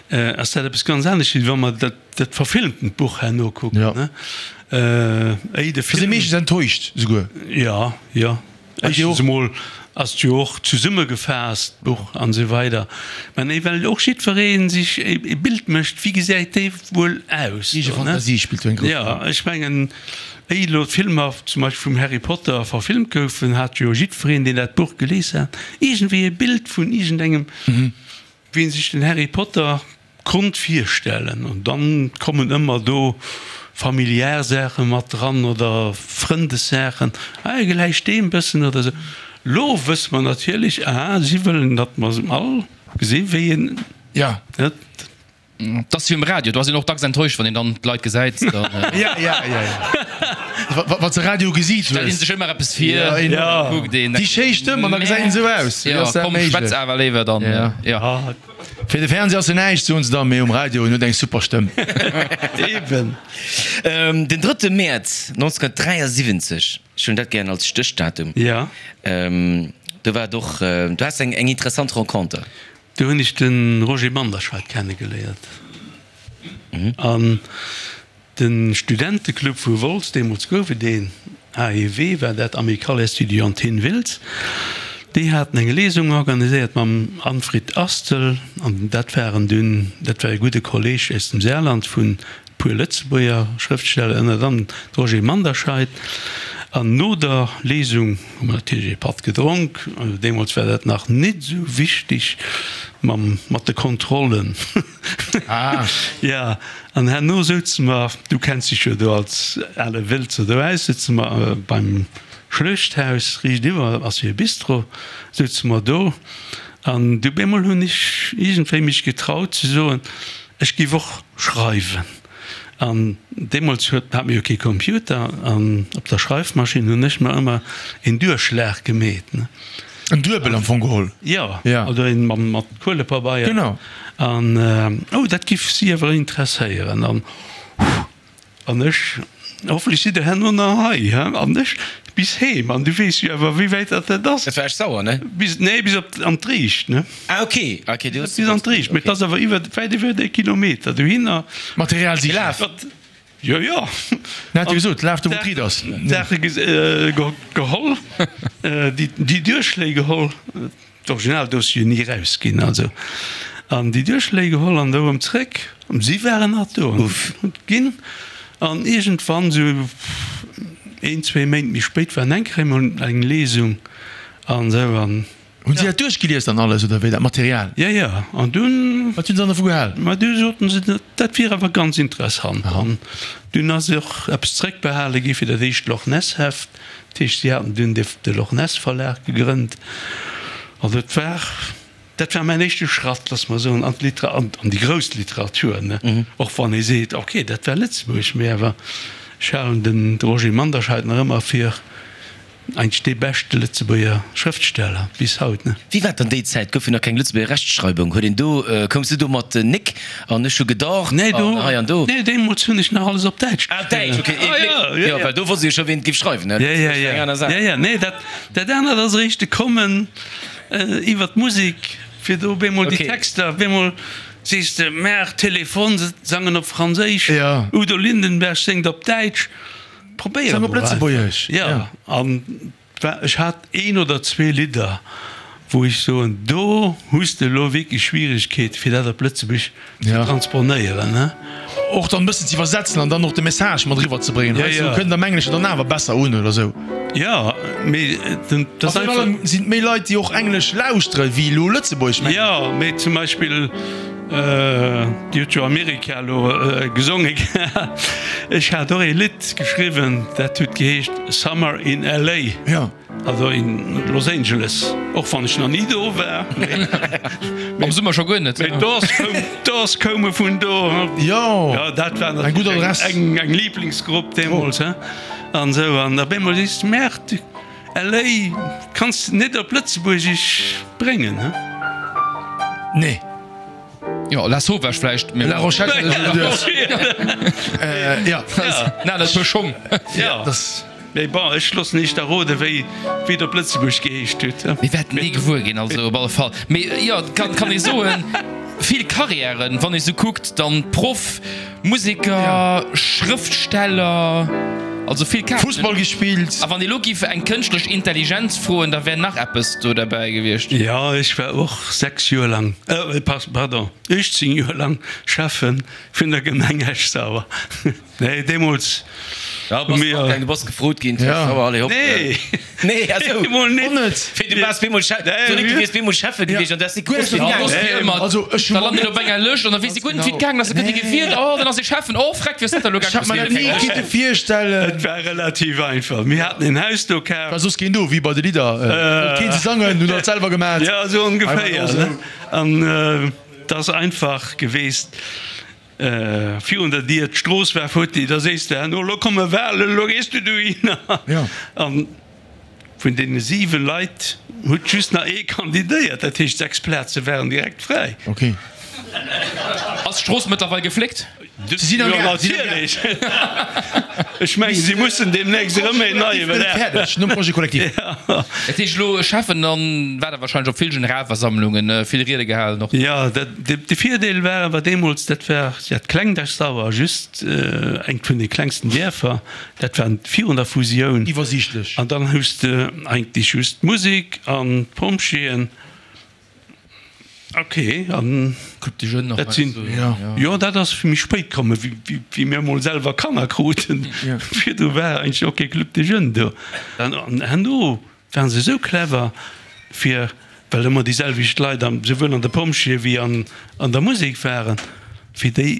ass dat eppes ganz anescht, wéi wa mer dat verfilmtent Buch herno kucken. Éi de Ass ee Film. meeschtens enttäuscht esouguer. Jo, jo. Éischtens emol ass et jo och zesummegefaasst, d'Buch an esou weider. Mä nee, well och jiddweree sech e Bild mécht, wéi gesäit dee wuel aus. Eege Fantasie spillt do eng grouss Jo, Roll. ech mengen, éi elo d'Filmer zum Beispill vum Harry Potter verfilmt goufen, hat jo jiddwereen, deen dat Buch gelies hat, iergendwéi e Bild vun iergendengem, wéi en sech den Harry Potter konnt virstellen. An dann kommen ëmmer do familiär Saache mat dran oder Frëndessaachen, ah, e gläicht deem bëssen oder esou. Lo wësse mer natierlech, ah, si wëllen, datt mer se all gesi wéi en, Ja. net? Et ass wéi um Radio, do ass een och dacks enttäuscht, wann een dann d'Leit gesäit. Dann Ja, ja, ja, ja. Wann s de Radio gesiit stellt een hues. sech ëmmer eppes vir, Ja, Ja. kuckt een, Déi schéi Stëmm an da gesäit een esou aus. Wéi Ja, ass dat komm, méiglech? schwätz awer léiwer dann. Ja. Ja. Fir de Fernseh ass se näischt, soen se da, mee um Radio, en huet eng super Stëmm. Eben. Den drëtte Mäerz 1973, ech hunn dat gären als Stéchdatum, Ja. do war et och, du has eng interessant Renconter. Do hunn ech de Roger Manderscheid kennegeléiert. An De Studenteclub vu Wolz, deemools gouf et een, AEW war dat, Amicale Estudiantine Wiltz, déi haten eng Lesung organiséiert mam Anfrid Astel an dat waren dunn, dat war e gudde Kolleg aus dem Saarland vun e puer Lëtzebuerger Schrëftsteller, ënnert anerem de Roger Manderscheid. An no der Lesung hu mer natierlech ee Patt gedronk, deemools war dat nach nit esou wichteg mam, mat de Kontrollen. Ah. Ja, an herno souze mer, du kenns dech jo do als ale Wëlzer do aus, souze mer beim Schluechthaus riichtiwwer, ass jo e Bistro, souze mer do an du bemol hunn ech iergendwéi mech getraut ze soen, ech giff och schreiwen. An deemools huet, hat mir jo kee Computer an op der Schreifmaschinn hunn ech mer ëmmer een Duerchschlag gemeet, ne. En Duebel am Fong geholl. Jo, oder een mat Kuelepabeier. Genau. An, oh, dat giff si awer interesséieren. An, an ech, hoffentlich sidd der herno nach hei, he? An ech bis heem. An du weess jo awer, wéi wäit dat dat ass. Dat war echt sauer, ne? Bis, nee, bis op, an d'Riicht, ne? Ah, okay, okay, du hues. Bis an d'Riicht, mee et ass awer iwwer, wäit iwwer ee Kilometer dohinner. Material sichen. Gelaf. Jo, jo. Hien hat jo gesot, laf do wou d'Ried ass. D'Saache geholl, déi Duerchschléi geholl, d'Originaldossier ni erausginn, also, an déi Duerchschléi geholl an da erëm zréck. Si waren nach do an hunn ginn. An iergendwann, esou een, zwee Méint méi spéit, war eng Kéier emol eng Lesung an esou an. Hunn si dat duerchgelies dann alles, oder wéi, dat Material? Jo, jo. An dunn. Wat hunn se dann dervu gehal? Ma du soten se, dat wier awer ganz interessant. An dunn ass och eppes zréckbehale gi fir dat éischt Loch Ness Heft. Dat heescht, si haten dunn de Loch Ness Verlag gegrënnt. An dat war, dat war mäin éischte Schratt, loosse mer soen, an d'Litera, an déi grouss Literatur, ne. Och wann ee seet, okay, dat war Lëtzebuerg, mee awer ech halen den Roger Manderscheid nach ëmmer fir Eigentlech dee beschte Lëtzebuerger Schrëftsteller bis haut, ne? Wéi war et dann déi Zäit? Gouf jo nach keng Lëtzebuerger Rechtschreibung. Huet een do, koums du do mat Nik an ech hu gedaucht an hei an do? Nee, deemools hunn ech nach alles op Däitsch Ah, op Däitsch, okay. Ah, jo, jo, jo. Well do wosst ee jo scho ween et géif schreiwen, ne? Jo, jo, jo. Eng aner Saach. Jo, jo, nee, dat, dat anert ass eréischt gekommen iwwer d'Musek, fir do op eemol déi Texter, op eemol sees de, Maach, Téléphone, se sangen op Franséisch, Udo Lindenberg séngt op Däitsch. Probéier Sang op emol einfach. Lëtzebuergesch, Ja, ja. an war, ech hat een oder zwee Lidder, wou ech soen, do hues de elo wierklech Schwieregkeete fir dat op Lëtzebuerg ze Ja. transponéieren, ne? Och dann e bëssen ze iwwersetzen an dann och de Message mat eriwwer ze bréngen. Ja, Heiansdo ja. kënnt am Engleschen dann awer besser un oder sou. Ja, mee den, dat A ass virun einfach. allem sinn et méi Leit, déi och Englesch lauschteren, wéi elo Lëtzebuergesch, mengen ech. Ja, mee zum Beispill. Dir hutt jo Amerika elo gesonge gehat. Ech hat och ee Lidd geschriwwen, dat huet geheescht Summer in LA, also in Los Angeles, och wann ech nach ni do war. Am Summer scho guer net. Mee d'Doors koume vun do. Jo, dat war eng gutt Adress. Eng Liblingsgrupp deemools an esou. An op eemol sees de, Merde, LA kanns de net op Lëtzebuergesch bréngen, he? Nee. Jo, La Sauvage vläicht, mee. La Rochelle hat ech geduecht. Ja. Na, dat puer Schong. Ja. Mee bon, ech loossen iech da roden, wéi et op Lëtzebuerg geheescht huet. Mir wäerten ni gewuer ginn, also op alle Fall. Mee jo, kann, kann ee soen, vill Karriären, wann ee sou kuckt, dann Proff, Museker, Schrëftsteller, also vill Kaarten. Fussball gespillt. A wann ee lo giff eng kënschtlech Intelligenz froen, da wär nach eppes do derbäi gewiescht. Jo, ech war och 6 Joer lang, pardon, 18 Joer lang Schäffen vun der Gemeng Esch-Sauer. Nee, deemools Ja, hu bass mir. matgaangen, du bass gefrot ginn, ja. Sauer, allez hopp. Nee! Nee, ach sou. Emol net. Och net. Fir du waars bemol Chef, Nee, so du mir- wiers bemol Schäffe gewiescht an du häss net gewosst, wéi Ja, et ass gaangen wéi ass. ëmmer. Also, ech hu Da lant een op enger Lëscht an da weess ee guer net, wéi et gaangen ass. Da gëtt ee gewielt, oh, dann ass ee Schäffen, oh, freck, wéi ass dat da elo Ech hat gaangen? mer dat ni kinne virstellen. Et war relativ einfach. Mir haten en Haus do kaf. War soss keen do, wéi bei de Lidder. Wollt keen se sangen, hunn alt selwer gemat. Ja, esou ongeféier, Einfach ne? An et ass einfach geweest. Virun der Dier, d'Strooss war futti, da sees de herno, elo komme Wahlen, elo gees du dohinner. A vun deene 7 Leit huet just nach ee kandidéiert, dat heescht 6 Plaze waren direkt fräi. Ass d'Strooss mëttlerweil gefléckt? Si sinn am Jo, Gaang, si sinn am Gaang. natierlech. Ech mengen, si mussen deemnächst erëm een neie Projet Belag. fäerdeg, nom Projet collectif. Dat heescht elo Schäffen an war der wahrscheinlech op vill Generalversammlungen, vill Riede gehalen och? Jo, dat, de Virdeel war awer deemools, dat war dat klengt Esch-Sauer, just engt vun de klengsten Dierfer, dat war virun der Fusioun. Iwwersiichtlech. An dann hues de eigentlech just d'Musek an d'Pompjeeën. Ok, an Club des Jeunes nach dat sinn, heiansdo, jo, dat ass méi spéit kommen, wéi, wéi mir emol selwer Kanner kruten. Virdru war eigentlech och kee Club des Jeunes do. An herno waren se esou clever, fir, well ëmmer déi selwecht Leit am, souwuel an de Pompjeeë wéi an, an der Musek waren, fir déi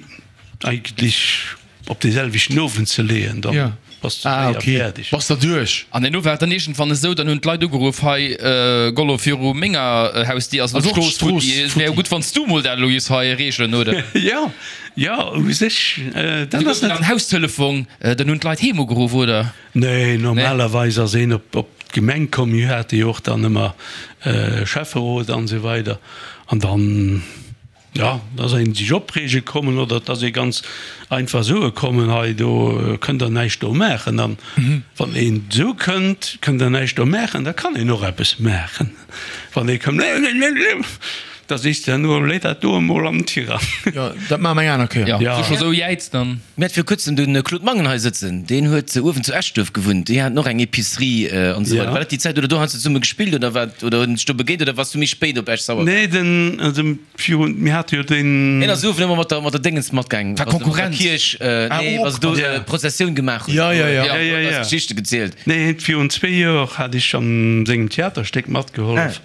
eigentlech op dee selwechten Owend ze leeën, da bass de Ah, séier okay. fäerdeg. Bass der duerch. An herno war et dann iergendwann esou, dann hunn d'Leit ugeruff, Hei Gollo, viru menger Hausdier ass elo Also och d'Strooss d'Strooss futti, et wär jo futti. gutt, wann s du mol dat elo giffs hei reegelen, oder? Jo, jo, u sech, dat Du ass gouf net. dann Haustelefon, dann hunn d'Leit heem ugeruff, oder? Nee, normalerweis ass een op d'Gemeng komm, mir hate jo och dann ëmmer Schäfferot an esou weider an dann. Jo, et ass een sech opreege kommen oder et ass ee ganz einfach soe kommen, hei do kënnt der näischt do maachen. An wann een esou kënnt, kënnt der näischt do maachen, da kann een och eppes maachen. Wann ee kënnt, da sees de herno, léi dat do emol am Tirang. Jo, dat maache mer eng aner Kéier. Jo, wann s du scho sou jäiz, dann. Mir hat viru kuerzem de Claude Mangen hei sëtzen, deen huet uewen zu Eschduerf gewunnt, déi haten och eng Epicerie an esou weider. War dat déi Zäit oder do has de zesumme gespillt oder wat oder hunn sech do begéint oder bass du méi spéit op Esch-Sauer komm? Nee, den, also virun, mir hate jo den. Hien ass uewen ëmmer mat der, mat der Déngens matgaang, War wa se mat der Konkurrenz. Kierch, nee, wa se do Prozessioun gemaach hunn. Ja, ja, ja. Ja, Ja, ja, huet ja. eis Geschichte gezielt. Nee, virun zwee Joer hat ech an sengem Theaterstéck matgehollef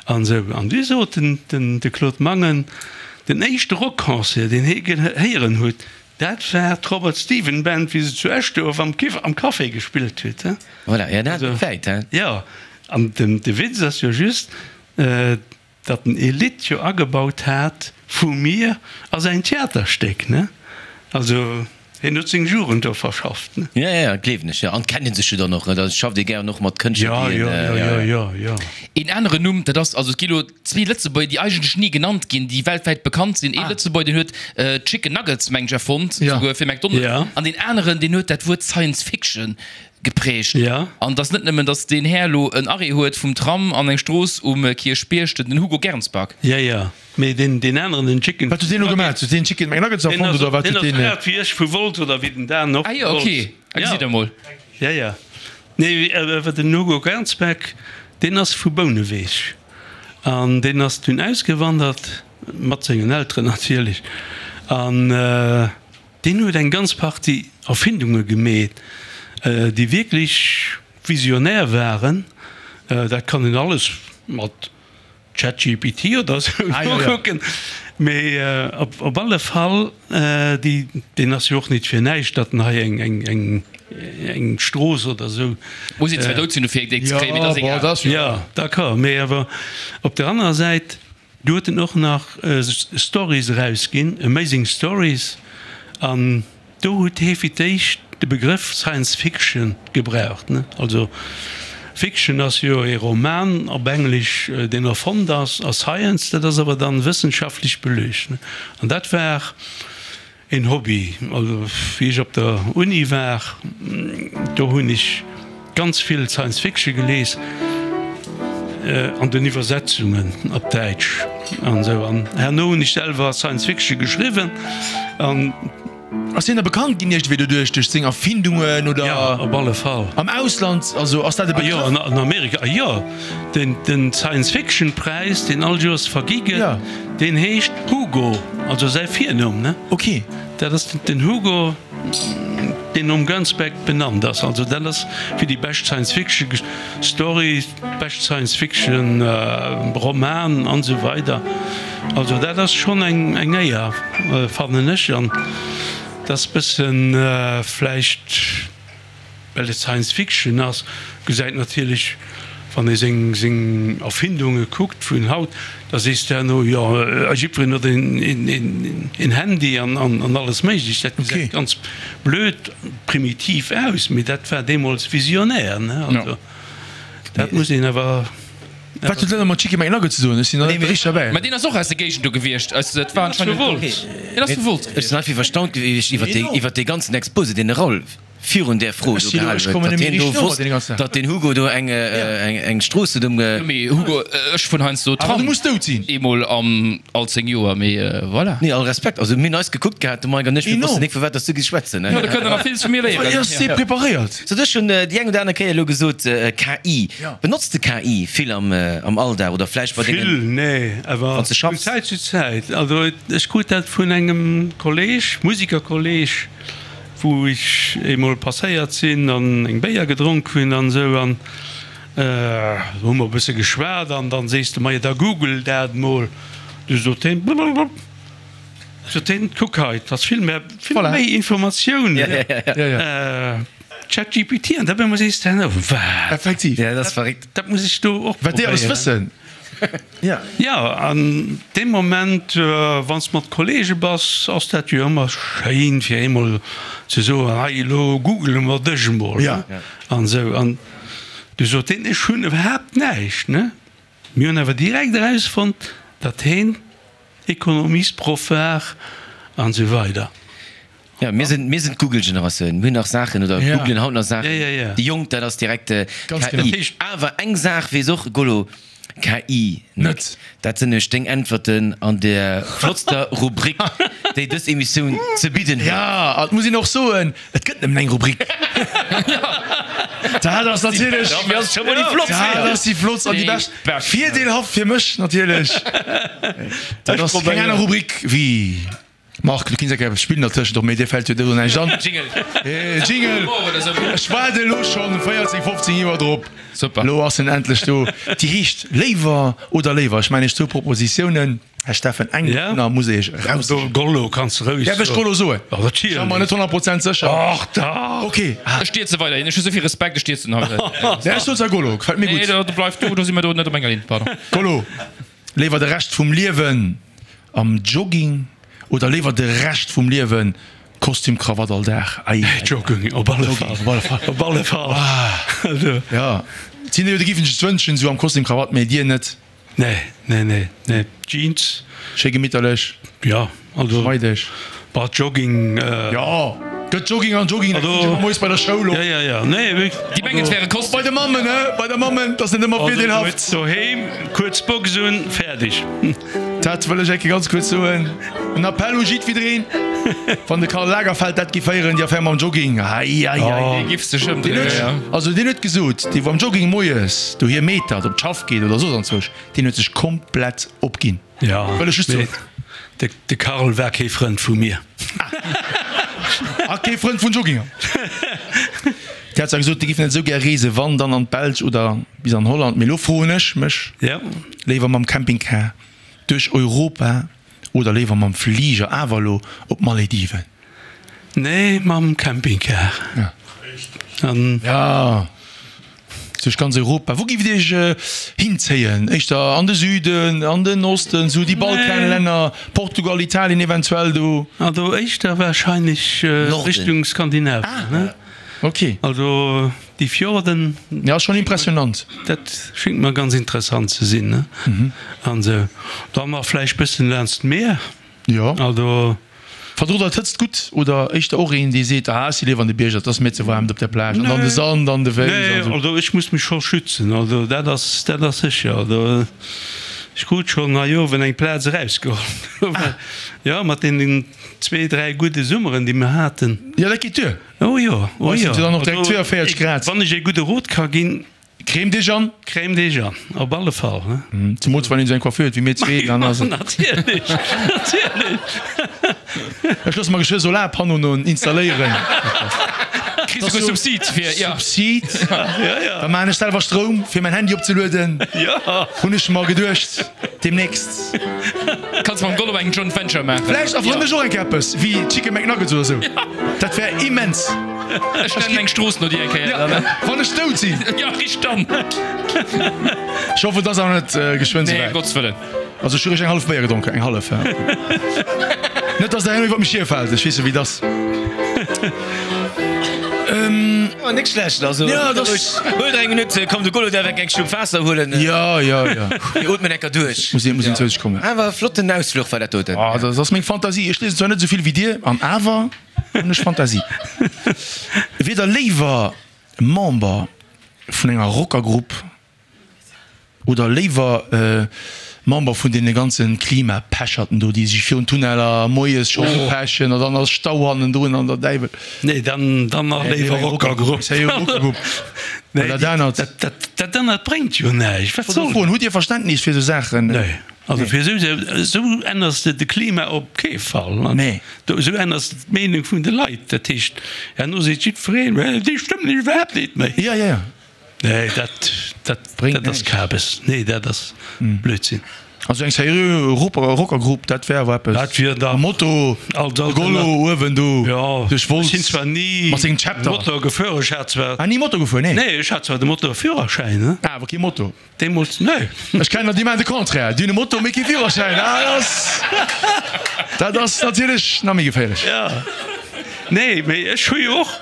an esou. An du sot den, den, de Claude Mangen, Den éischte Rockconcert, deen hie gehéieren huet, dat war d'Robert Stephen Band, wéi se zu Eschduerf am am Café gespillt huet. Voilà, ja, dat ass wäit, he? Jo, an den de Witz ass jo just, datt en ee Lidd jo agebaut hat vu mir a säin Theaterstéck, ne? Also. Hien huet seng Jugend do verschafft, ne? Ja, ja, gleewen ech, jo. An kennen sech jo dann och, ne? Da schafft ee gären och mat Kënschtler, Ja, déi ja, een, ja, ja, ja, ja. ja, ja. Een aneren Numm, dat ass, also et gi lo zwee Lëtzebuerger, déi eigentlech ni genannt ginn, déi weltwäit bekannt sinn. Ee Lëtzebuerger, deen huet d'Chicken Nuggets, mengen ech, erfonnt, Ja. souguer fir McDonald's. Ja. An deen aneren, deen huet dat Wuert Science Fiction geprägt. Ja. An et ass net nëmmen, datt deen Här lo en Arrêt huet vum Tram an eng Strooss um Kierchbierg, den Hugo Gernsback. Ja, ja. Mee deen, deen aneren, den Chicken. Wat huet deen elo gemaat? Huet deen Chicken McNuggets erfonnt oder wat huet deen? Deen ass grad wéi ech vu Wolz oder wéi den Dan och Ah vu jo, Wolz. ok, ah gesitt der mol. Ja, ja. Nee, awer den Hugo Gernsback, deen ass vu Bouneweg an deen ass dunn ausgewandert, mat sengen Elteren natierlech, an deen huet eng ganz Partie Erfindunge gemeet, déi wierklech visionär waren. Dat kann een alles mat ChatGPT oder sou nokucken. Mee op alle Fall, déi, deen ass jo och nit fir näischt, datt en hei eng Strooss oder sou. Muss een zwar dout sinn dofir déi ze kréien, mee dat ass egal. Jo, d'accord, mee awer op der anerer Säit, du huet en och nach Stories erausginn, Amazing Stories, an Do huet hie fir d'éischt de Begrëff Science Fiction gebraucht. Also Fiction ass jo ee Roman op Englesch, deen erfonnt ass, a Science, dat ass awer dann wëssenschaftlech beluecht. An dat war een Hobby. Also wéi ech op der Uni war, do hunn ech ganz vill Science Fiction gelies, an den Iwwersetzungen op Däitsch an esou. An herno hunn ech selwer Science Fiction geschriwwen an. Ass hien da bekannt ginn iergendwéi doduerch, duerch seng Erfindungen oder? Jo, op alle Fall. Am Ausland, also ass dat e Begrëff? Ah jo, an Amerika, ah jo. Den, den Science-Fiction-Präis, deen all Joers vergi gëtt, deen heescht Hugo, also säi Virnumm, ne? Ok. Dat ass den Hugo, deen nom Gernsback benannt ass. Also dat ass fir déi bescht Science-Fiction-Story, bescht Science-Fiction Roman an esou weider. Also dat ass schonn eng eng Éier fannen ech an et ass bëssen vläicht well et Science Fiction ass, gesäit natierlech wann ee seng seng Erfindunge kuckt vun haut, da sees de herno jo jiddwereen huet een een Handy an an alles méiglech. Dat gesäit ganz blöd primitiv aus, mee dat war deemools visionär ne. Also dat muss een awer. Wat huet dat elo mat Chicken McNugget ze doen? Ech sinn nach net richteg derbäi. Mä deen ass och aus der Géigend do gewiescht. Also dat war anscheinend. Deen ass vu Wolz Ech sinn einfach erstaunt gewiescht iwwer dee ganzen Exposé, deen de Raoul virun där Fro do gehalen huet, datt hien do wosst, datt den Hugo do eng Strooss huet ëmge. Mee Hugo, ech fueren heiansdo Tram. Eemol all 10 Joer, mee voilà. Nee, all Respekt. Also mir hunn eis gekuckt gehat, de Mike an ech, mir wossten nik, vu wat datt s du giss schwätzen. Jo, do kënnt der nach villes vu mir léieren. Ass dee preparéiert? Sot ech hunn déi eng oder aner Kéier elo gesot, KI. Benotz de KI vill am Alldag oder vläicht bei dengen. Vill, nee, awer vun Zäit zu Zäit. Also ech krut dat vun engem Kolleg, Musikerkolleg. wou ech eemol passéiert sinn an eng Béier gedronk hunn an esou an hu mer e bësse geschwat an dann sees de, majo da google dat mol. Du sot heen, blablabla, sot heen, kuck hei, 't ass vill méi, vill méi Informatioun, ChatGPT an da op eemol sees de, wat? Effektiv. Ja, dat ass verréckt. Dat muss ech do och Wat déi alles probéieren. wëssen. Ja. Ja, an deem Moment, wann s de mat Kollege bass, ass dat jo ëmmer schéin, fir eemol ze soen, hei elo googele mer dech emol, Ja. an esou. An du sot deen, ech hunn iwwerhaapt näischt, ne? Mir hunn awer direkt erausfonnt, datt heen Ekonomiesproff war an esou weider. Ja, mir sinn, mir sinn d'Google-Generatioun. Mir hunn nach Saachen oder Ja. googlen haut nach Saachen. Ja, ja, ja. Déi Jonk, dat ass direkt Ganz KI. genau. Awer eng Saach weess och Gollo, KI net. Net. Dat sinn nämlech deng Äntwerten an der flottster Rubrik, déi dës Emissioun ze bidden huet. Ja, an et muss een och soen, et gëtt nëmmen eng Rubrik. Dat ass natierlech, Dofir ass et scho mol déi flottst. dat ass déi flottst an déi bescht. Virdeelhaft fir mech natierlech. Dat ass keng aner Rubrik wéi. Marc, du kinns eng Kéier eppes spillen dertëschent och, mee dir fält jo do näischt an. Jingle. Jingle! Ech waarde elo schonn 14, 15 Joer drop. Super. Elo ass en endlech do. Déi heescht Léiwer oder léiwer. Ech maachen iech zwou Propositiounen, Här Steffen, eng dovunner muss iech eraussichen. Gollo kanns de roueg soen. Däerf ech Gollo soen? Natierlech. Ech war mer net 100 Prozent sécher. Och dach. Ok. Ech stierze weiderhin. Ech hu souvill Respekt, ech stierzen haut. Nee, ech soen zwar Gollo, gefält mir gutt. Nee, do bleif du, do si mer do net op enger Linn, pardon. Gollo, léiwer de Rescht vum Liewen Am Jogging oder léiwer de Rescht vum Liewen Kostüm Krawatt all Dag? Ei, ei, Jogging op alle Fall. Op alle Fall. Op alle Fall. Ja, et sinn der jo, déi giffen sech et wënschen, esou am Kostüm Krawatt, mee dir net? Nee, nee, nee, nee. Jeans. Schéi gemitterlech. Ja, also. Schmeideg. Bah, Jogging. Jo, gëtt Jogging an Jogging, dat geet jo moies bei der Schoul op. Ja, ja, ja, nee, wierklech. Déi mengen, et wär e Kostüm. Bei de Mammen, he, bei der Mammen, dat ass net ëmmer virdeelhaft. Doheem, kuerz Box un, fäerdeg. Dat wëll ech eng Kéier ganz kuerz soen, en Appell u jiddwiddereen, wann de Karl Lagerfeld dat géif héieren, déi Affär mam Jogging, hei, hei, hei. Dee giff sech ëmdréinen, jo. Also deen huet gesot, dee wou am Jogging moies dohier meetert, op d'Schaff geet oder soss anzwousch, deen huet sech komplett opginn. Jo, Wëll ech just mee soen. de Karl war kee Frënd vu mir. A kee Frënd vun Jogginger. Dir hat zwar gesot, Dir giff net esou gär reesen, wann dann an d'Belsch oder bis an Holland, mee elo froen ech mech, Léiwer mam Campingcar duerch Europa oder léiwer mam Fliger awer elo op d'Malediven? Nee, mam Campingcar. Ja, duerch ganz Europa. Wou giff et Iech hinzéien? Éischter an de Süden, an den Osten, esou déi Balkanlänner, Portugal, Italien eventuell do? Also éischter wahrscheinlech Richtung Skandinavien, ne? Ok. Also déi Fjorden. Ja, ass schon impressionant. Dat schéngt mer ganz interessant ze sinn, ne? An esou. Dann nach vläicht bëssen laanscht d'Mier. Jo. Also. Verdrot der d'Hëtzt gutt oder éischter och een, dee seet, ah, ech si léiwer an de Bierger, et ass mir ze waarm op der Plage an dann de Sand an de Wéis Nee, an esou. also ech muss mech scho schützen, also dat ass, dat ass sécher. Also ech krut schonn hei uewen eng Plaz erausgeholl. Jo, mat deenen zwee, dräi gudde Summeren, déi mer haten. Jo, dat geet duer. Oh jo, oh Hei jo. sinn se dann och direkt 42 Grad. Wann ech ee gudde Rot ka ginn. Cremt Iech an! Cremt Iech an, op alle Fall. Zemools wann een esou eng Coiffure huet wéi mir zwee, dann ass et. Natierlech, natierlech. Ech loosse mer geschwë Solarpannoen installéieren. Kriss esouguer Subsid fir, ja. Subsid? Da maachen ech selwer Stroum fir mäin Handy opzelueden. Hunn ech mer geduecht. Demnächst. Kanns mam Gollum eng Joint Venture maachen. Vläicht erfannt ech och eng Kéier eppes wéi Chicken McNuggets oder sou. Dat wär immens. Ech nennen eng Strooss no dir eng Kéier dann. Wann ech dout sinn. Jo, richt dann. Ech hoffen, et ass awer net geschwënn Nee, souwäit. ëm Gottes Wëllen. Also ech hu réischt eng hallef Béier gedronken. Eng hallef, ja. Net, dass der herno iwwer mech hierfält. Ech weess jo, wéi et ass. Awer net schlecht, also Ja, dat ass. Huel der eng Minutt, komm de Golo däerf eng eng Schlupp Waasser huelen. Ja, ja, ja. Mir ootmen enker duerch. Muss een, muss een zou sech kommen. Awer flotten Ausfluch war dat doten. Ah, dat ass meng Fantasie. Ech liesen zwar net esou vill wéi dir, an awer hunn ech Fantasie. Wier der léiwer Member vun enger Rockergrupp Oder léiwer Member vun deene ganze Klimapecherten do, déi sech virun Tunneler moies scho upechen an dann ass Stau hannendrun an der Däiwel. Nee, dann nach léiwer Rockergrupp. Well dat anert. Dat anert bréngt jo näischt. Wat soll dat? Hutt Dir Verständnis fir esou Saachen? Nee. Also fir esou, esou änners de de Klima op kee Fall. Nee. Esou änners de d'Meenung vun de Leit. Dat heescht, herno seet jiddwereen, déi stëmmen iwwerhaapt net méi. Jo, jo, jo. Nee, dat, dat, Bréngt dat ass näischt. Kabes. Nee, dat ass Blödsinn. Also eng seriö Rockergrupp, dat wär awer eppes. Dat wier da Mam Moto, als de Gollo uewen do Ja, duerch ech sinn Wolz zwar ni mat sengem Chapter. Motor gefuer, ech hat zwar. Ah, ni Moto gefuer, nee? Nee, ech hat zwar de Motorführerschäin, ne? Ah, awer kee Moto. Deemools, nee. Ech kennen der, déi maachen de Contraire, déi hunn e Moto, mee kee Führerschäin. Ah, dat ass, dat ass natierlech nach méi geféierlech. Ja, nee, mee ech hu jo och.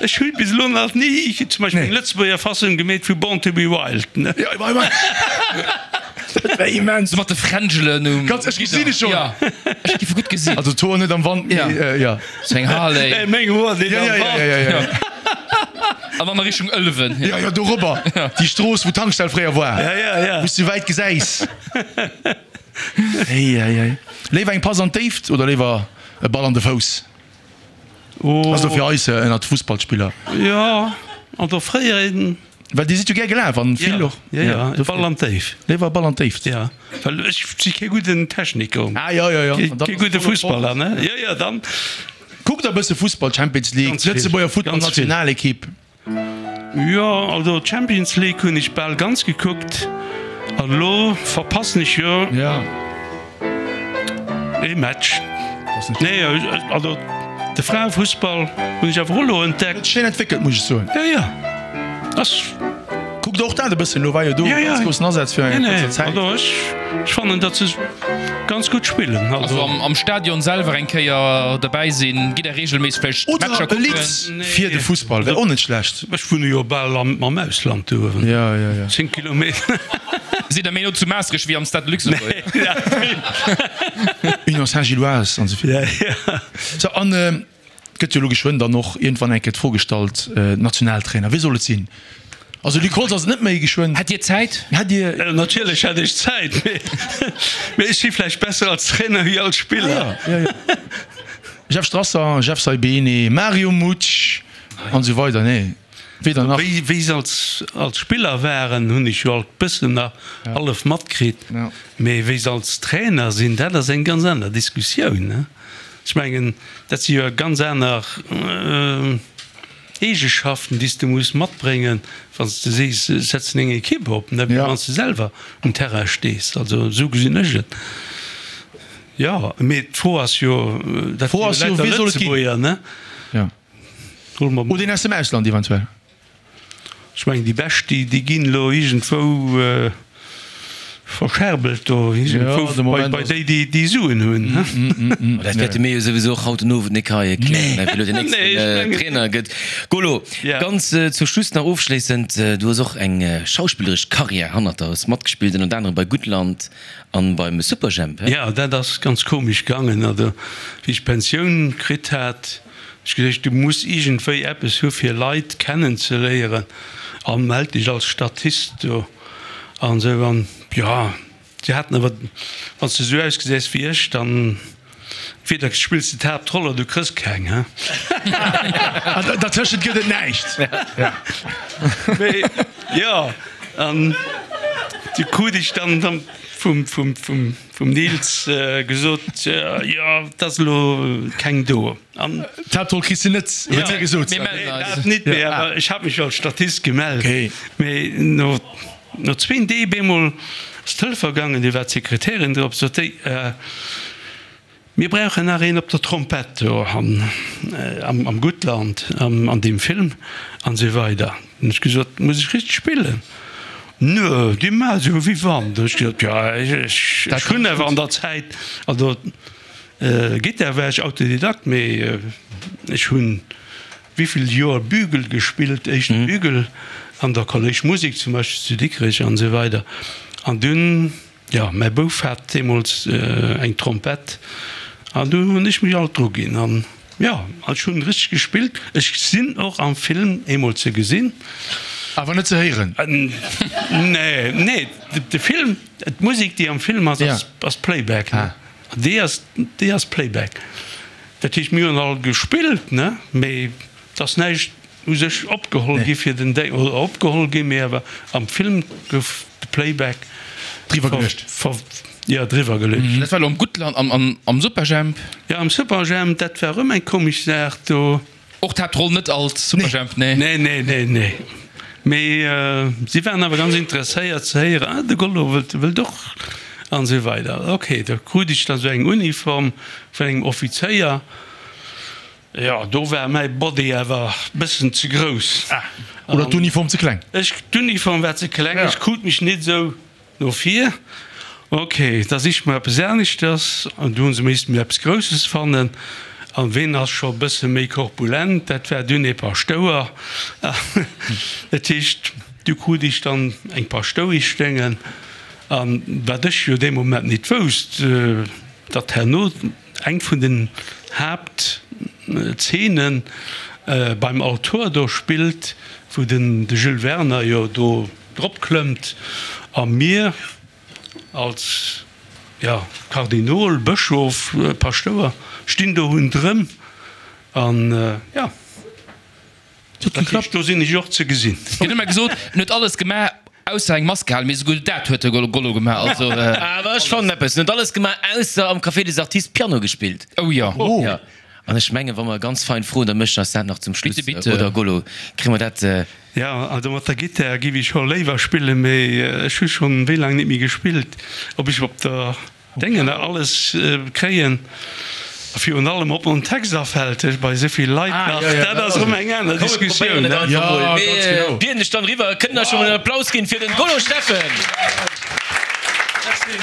Ech hu bis elo nach ni zum Beispill eng Lëtzebuerger Fassung gemeet vu Born to be Wild. Jo, ma, ma, dat wär immens. Sou mat de Fränjelen um. Ganz, ech gesinn ech schonn. Ja, ech giff e gutt gesinn. Also d'Hoer net am Wand, mee, Ja. ja. Sou eng Harley. Nee, meng Hoer sinn Ja, am ja, ja, Wand. ja, ja, ja. An dann a Richtung Ëlwen. Ja, jo, dorobber. Déi Strooss, wou d'Tankstell fréier war. Ja, ja, ja. Wou s du wäit gesäis. Ei, ei, ei. Léiwer eng Pass an d'Déift oder léiwer e Ball an de Fouss? Oh. Ass lo fir eis ënnert Fussballspiller. Jo, an der fréier een. Well dir sidd jo gär gelaf an vill och. Jo, jo, e Ball an d'Déif. Léiwer e Ball an d'Déift. Jo, well ech si kee gudden Techniker. Ah, jo, jo, jo. Kee gudde Fussballer, ne? Jo, jo, dann. Kuckt der e bësse Fussball, Champions League, Ganz vill. d'Lëtzebuerger Ganz vill. Futtballnationalekipp? Jo, also d'Champions League hunn ech bal ganz gekuckt an elo verpassen ech jo ee Match. Nee, also de Fraefussball hunn ech awer och elo entdeckt. Schéin entwéckelt, muss ech soen. Jo, jo, ass. Kuckt och dat e bëssen, elo war jo do e ganz groussen Asaz fir eng kuerzer Zäit. Also ech fannen, datt se ganz gutt spillen. Also am Stadion selwer eng Kéier derbäi sinn, gitt der reegelméisseg vläicht Matcher Oder e kucken? Lidd fir de Fussball wär och net schlecht. Ech wunne jo bal am Ausland do uewen, 10 Kilometer. Sidd der méi no zu Maastricht wéi am Stade de Luxembourg? Union Saint-Gilloise an esou vill. Sou, an Et gëtt jo elo geschwënn dann och iergendwann eng Kéier d'Fro gestallt, Nationaltrainer, wie soll et sinn? Also Luc Holtz ass et net méi, geschwënn. Hätt Dir Zäit? Hätt Dir. Natierlech hätt ech Zäit, mee ech si vläicht besser als Trainer wéi als Spiller. Ah jo, jo, jo. Jeff Strasser, Jeff Saibene, Mario Mutsch an esou weider, nee, weder nach. Wéi se als Spiller waren, hunn ech jo alt bëssen nach hallef matkritt, mee wéi se als Trainer sinn, dat ass eng ganz aner Diskussioun. Ech mengen, dat si jo ganz aner Eegeschaften, déi s de muss matbréngen, wann s de sees, ech setzen eng Ekipp op, net wéi wann s de selwer um Terrain stees. Also esou gesinn ech et. Jo, mee d'Fro ass jo, dat D'Fro si ass jo jo, lauter wee soll et ginn? Lëtzebuerger, ne? Jo. Solle mer. Oder een aus dem Ausland eventuell. Ech mengen déi bescht déi déi ginn elo iergendwou verscherbelt do iergendwou bei déi déi déi Suen hunn. Ma dat wäerte mir jo souwisou och haut den Owend nik hei erklären, wéi elo den nächsten Trainer gëtt. Golo, ganz zum Schluss nach ofschléissend, du hues och eng schauspilleresch Karriär hannert der, hues matgespillt ënnert anerem bei Guttland an beim Superjhemp, he? Jo, dat ass ganz komesch gaangen. Also wéi ech d'Pensioun kritt hat, Ech geduecht, du muss iergendwéi eppes hu fir Leit kennen ze léieren a mell dech als Statist do an esou. An jo, si haten awer, wann s de esou ausgesäis wéi ech, dann entweder spills de d'Haaptroll oder du kriss keng, he. An dertëschent gëtt et näischt. Mee jo, an du krut ech dann vum, vum, vum. Vum Nils gesot, jo, et ass elo keng do. An. D'Haaptroll kriss de net, huet hie gesot. Mir mellen eis. Dat nit, mee awer ech hat mech jo als Statist gemellt. Mee no, no zween Dee bemol ass d'Telefon gaangen, do war d'Sekretärin drop, sot déi, Mir brauchen nach een op der Trompett do am Guttland, an deem Film an esou weider. Hunn ech gesot, Muss ech richteg spillen? Nö, déi maache sou wéi wann. Hunn ech gesot, Jo, ech hunn awer an der Zäit, also Gittar war ech Autodidakt, mee ech hunn. wéivill Joer Bügel gespillt, éischte Bügel an der Kolléisch Musek zum Beispill zu Dikrech an esou weider. An dunn, jo, mäi Bouf hat deemools eng Trompett an du hunn ech mech alt dru ginn an, jo, ech hunn richteg gespillt. Ech sinn och am Film eemol ze gesinn. Awer net ze héieren? Nee, nee, de Film, d'Musek déi am Film ass, ass Playback, ne? Déi ass, déi ass Playback. Dat heescht, mir hunn all gespillt, ne, mee et ass näischt u sech opgeholl gi fir den Déng, oder opgeholl gi, mee awer am Film gouf de Playback driwwer geluecht. Jo, driwwer geluecht. Dat war elo am Guttland, am, am Superjhemp? Jo, am Superjhemp, dat war erëm eng komesch Saach do. Och d'Haaptroll net als Superjhemp, nee. Nee, nee, nee, nee. Mee si waren awer ganz interesséiert ze héieren, ah, de Gollo wëllt, wëllt och an esou weider. Ok, da krut ech dann esou eng Uniform vun engem Offizéier. Jo, do war mäi Body awer bëssen ze grouss. Ah, oder d'Uniform ze kleng? Ech, d'Uniform war ze kleng, ech krut mech net esou No vir, Ok, da siche mer eppes aneschters. An du hu se missten mir eppes Grousses fannen. An ween ass scho e bësse méi korpulent? Dat war dunn ee Paschtouer. Dat heescht, du krut ech dann eng Paschtoueschdéngen. An wat ech jo dee Moment nit wousst, datt herno eng vun den Haaptzeenen beim Altor do spillt, wou den de Jules Werner jo do drop klëmmt a mir als, jo, Kardinol, Bëschof, Paschtouer stinn do hunndrëm an, jo, dat heescht, do sinn ech och ze gesinn. Gëtt ëmmer gesot, en huet alles gemaach, ausser eng Mask gehalen, mee esouguer dat huet de Gollo gemaach, also. Awer ech fannen eppes, en huet alles gemaach, ausser am Café des Artistes Piano gespillt. Oh jo. Jo, an ech mengen, wa mer ganz fein froen, da mécht en eis dat nach zum Schluss, Bitte, bitte. Oder Gollo, kréie mer dat? Jo, also mat der Gittär giff ech scho léiwer spillen, mee ech hu schon wéi laang net méi gespillt. Ob ech op der Déngen nach alles kréien a virun allem ob mer en Text afällt bei esouvill Leit nach, dat ass erëm eng aner Diskussioun. Komm mir probéieren et einfach mol. Mir bieden dech dann eriwwer. Kënnt der scho mol en Applaus ginn fir den Golo Steffen? Merci.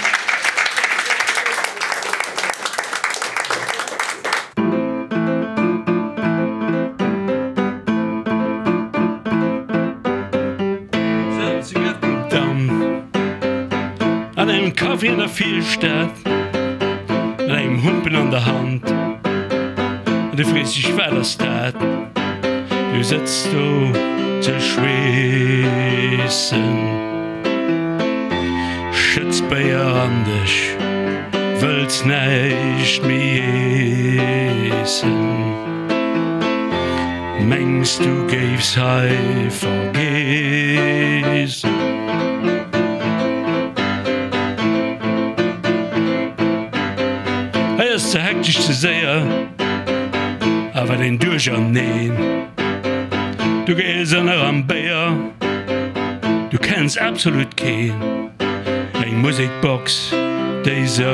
An engem Café an der Virstad, mat engem Humpen an der Hand, an du frees dech, Wat ass dat? Du sëtz do ze schweessen, schëtts Béier an dech, wëlls näischt méi iessen. Mengs du géifs hei vergeessen? Hei ass ze hektesch, ze séier, a wat een Duercherneen. Du gees ënner am Béier, du kenns absolut keen. Eng Musekbox déi souert.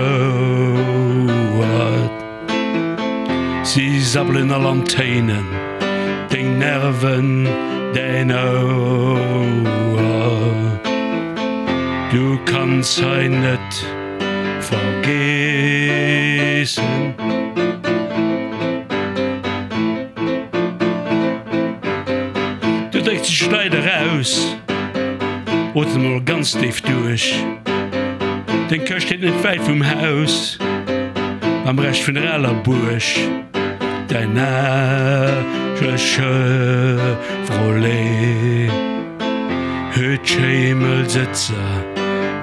Si sabbelen all an Téinen, deng Nerven, däin Ouer. Du kanns hei net vergeessen. Du drécks dech d'Leit eraus, otem mol ganz déif duerch. Deng Këscht steet net wäit vum Haus. Am Rescht vun der aler Buerg däin age Chevrolet huet schéi mëll Sëtzer,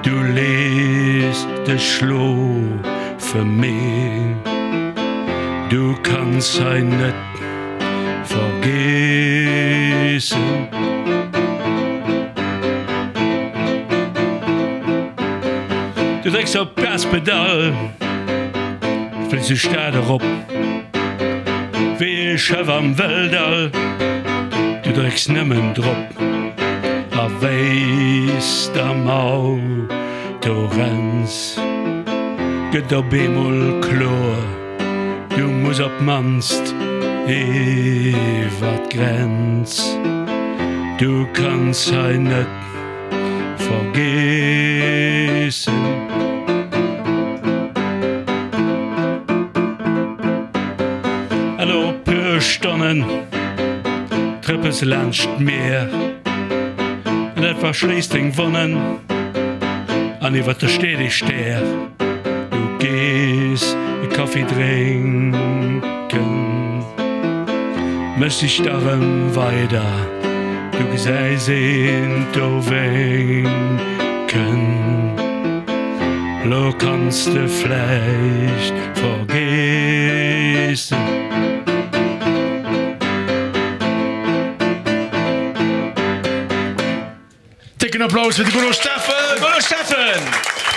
du lees dech schlofe mee du kanns hei net vergeessen. Du drécks op d'Gaspedall, fliss de Stad erop wéi e Schëff am Wëlldall. Du drécks nëmmen drop a wéis d'am Auto renns, gëtt op eemol kloer, Du muss op d'mannst iwwer d'Grenz. Du kanns hei net vergeessen. An no e puer Stonnen. Fuers de laanscht d'Mier an dat verschléisst deng Wonnen an iwwer der steet ee Stär. Du gees e Kaffi drénken, méchs dech da rëm weider, du gesäis een do wénken. Lo kanns de vläicht vergeessen. Décken Applaus fir de Golo Steffen! Golo Steffen!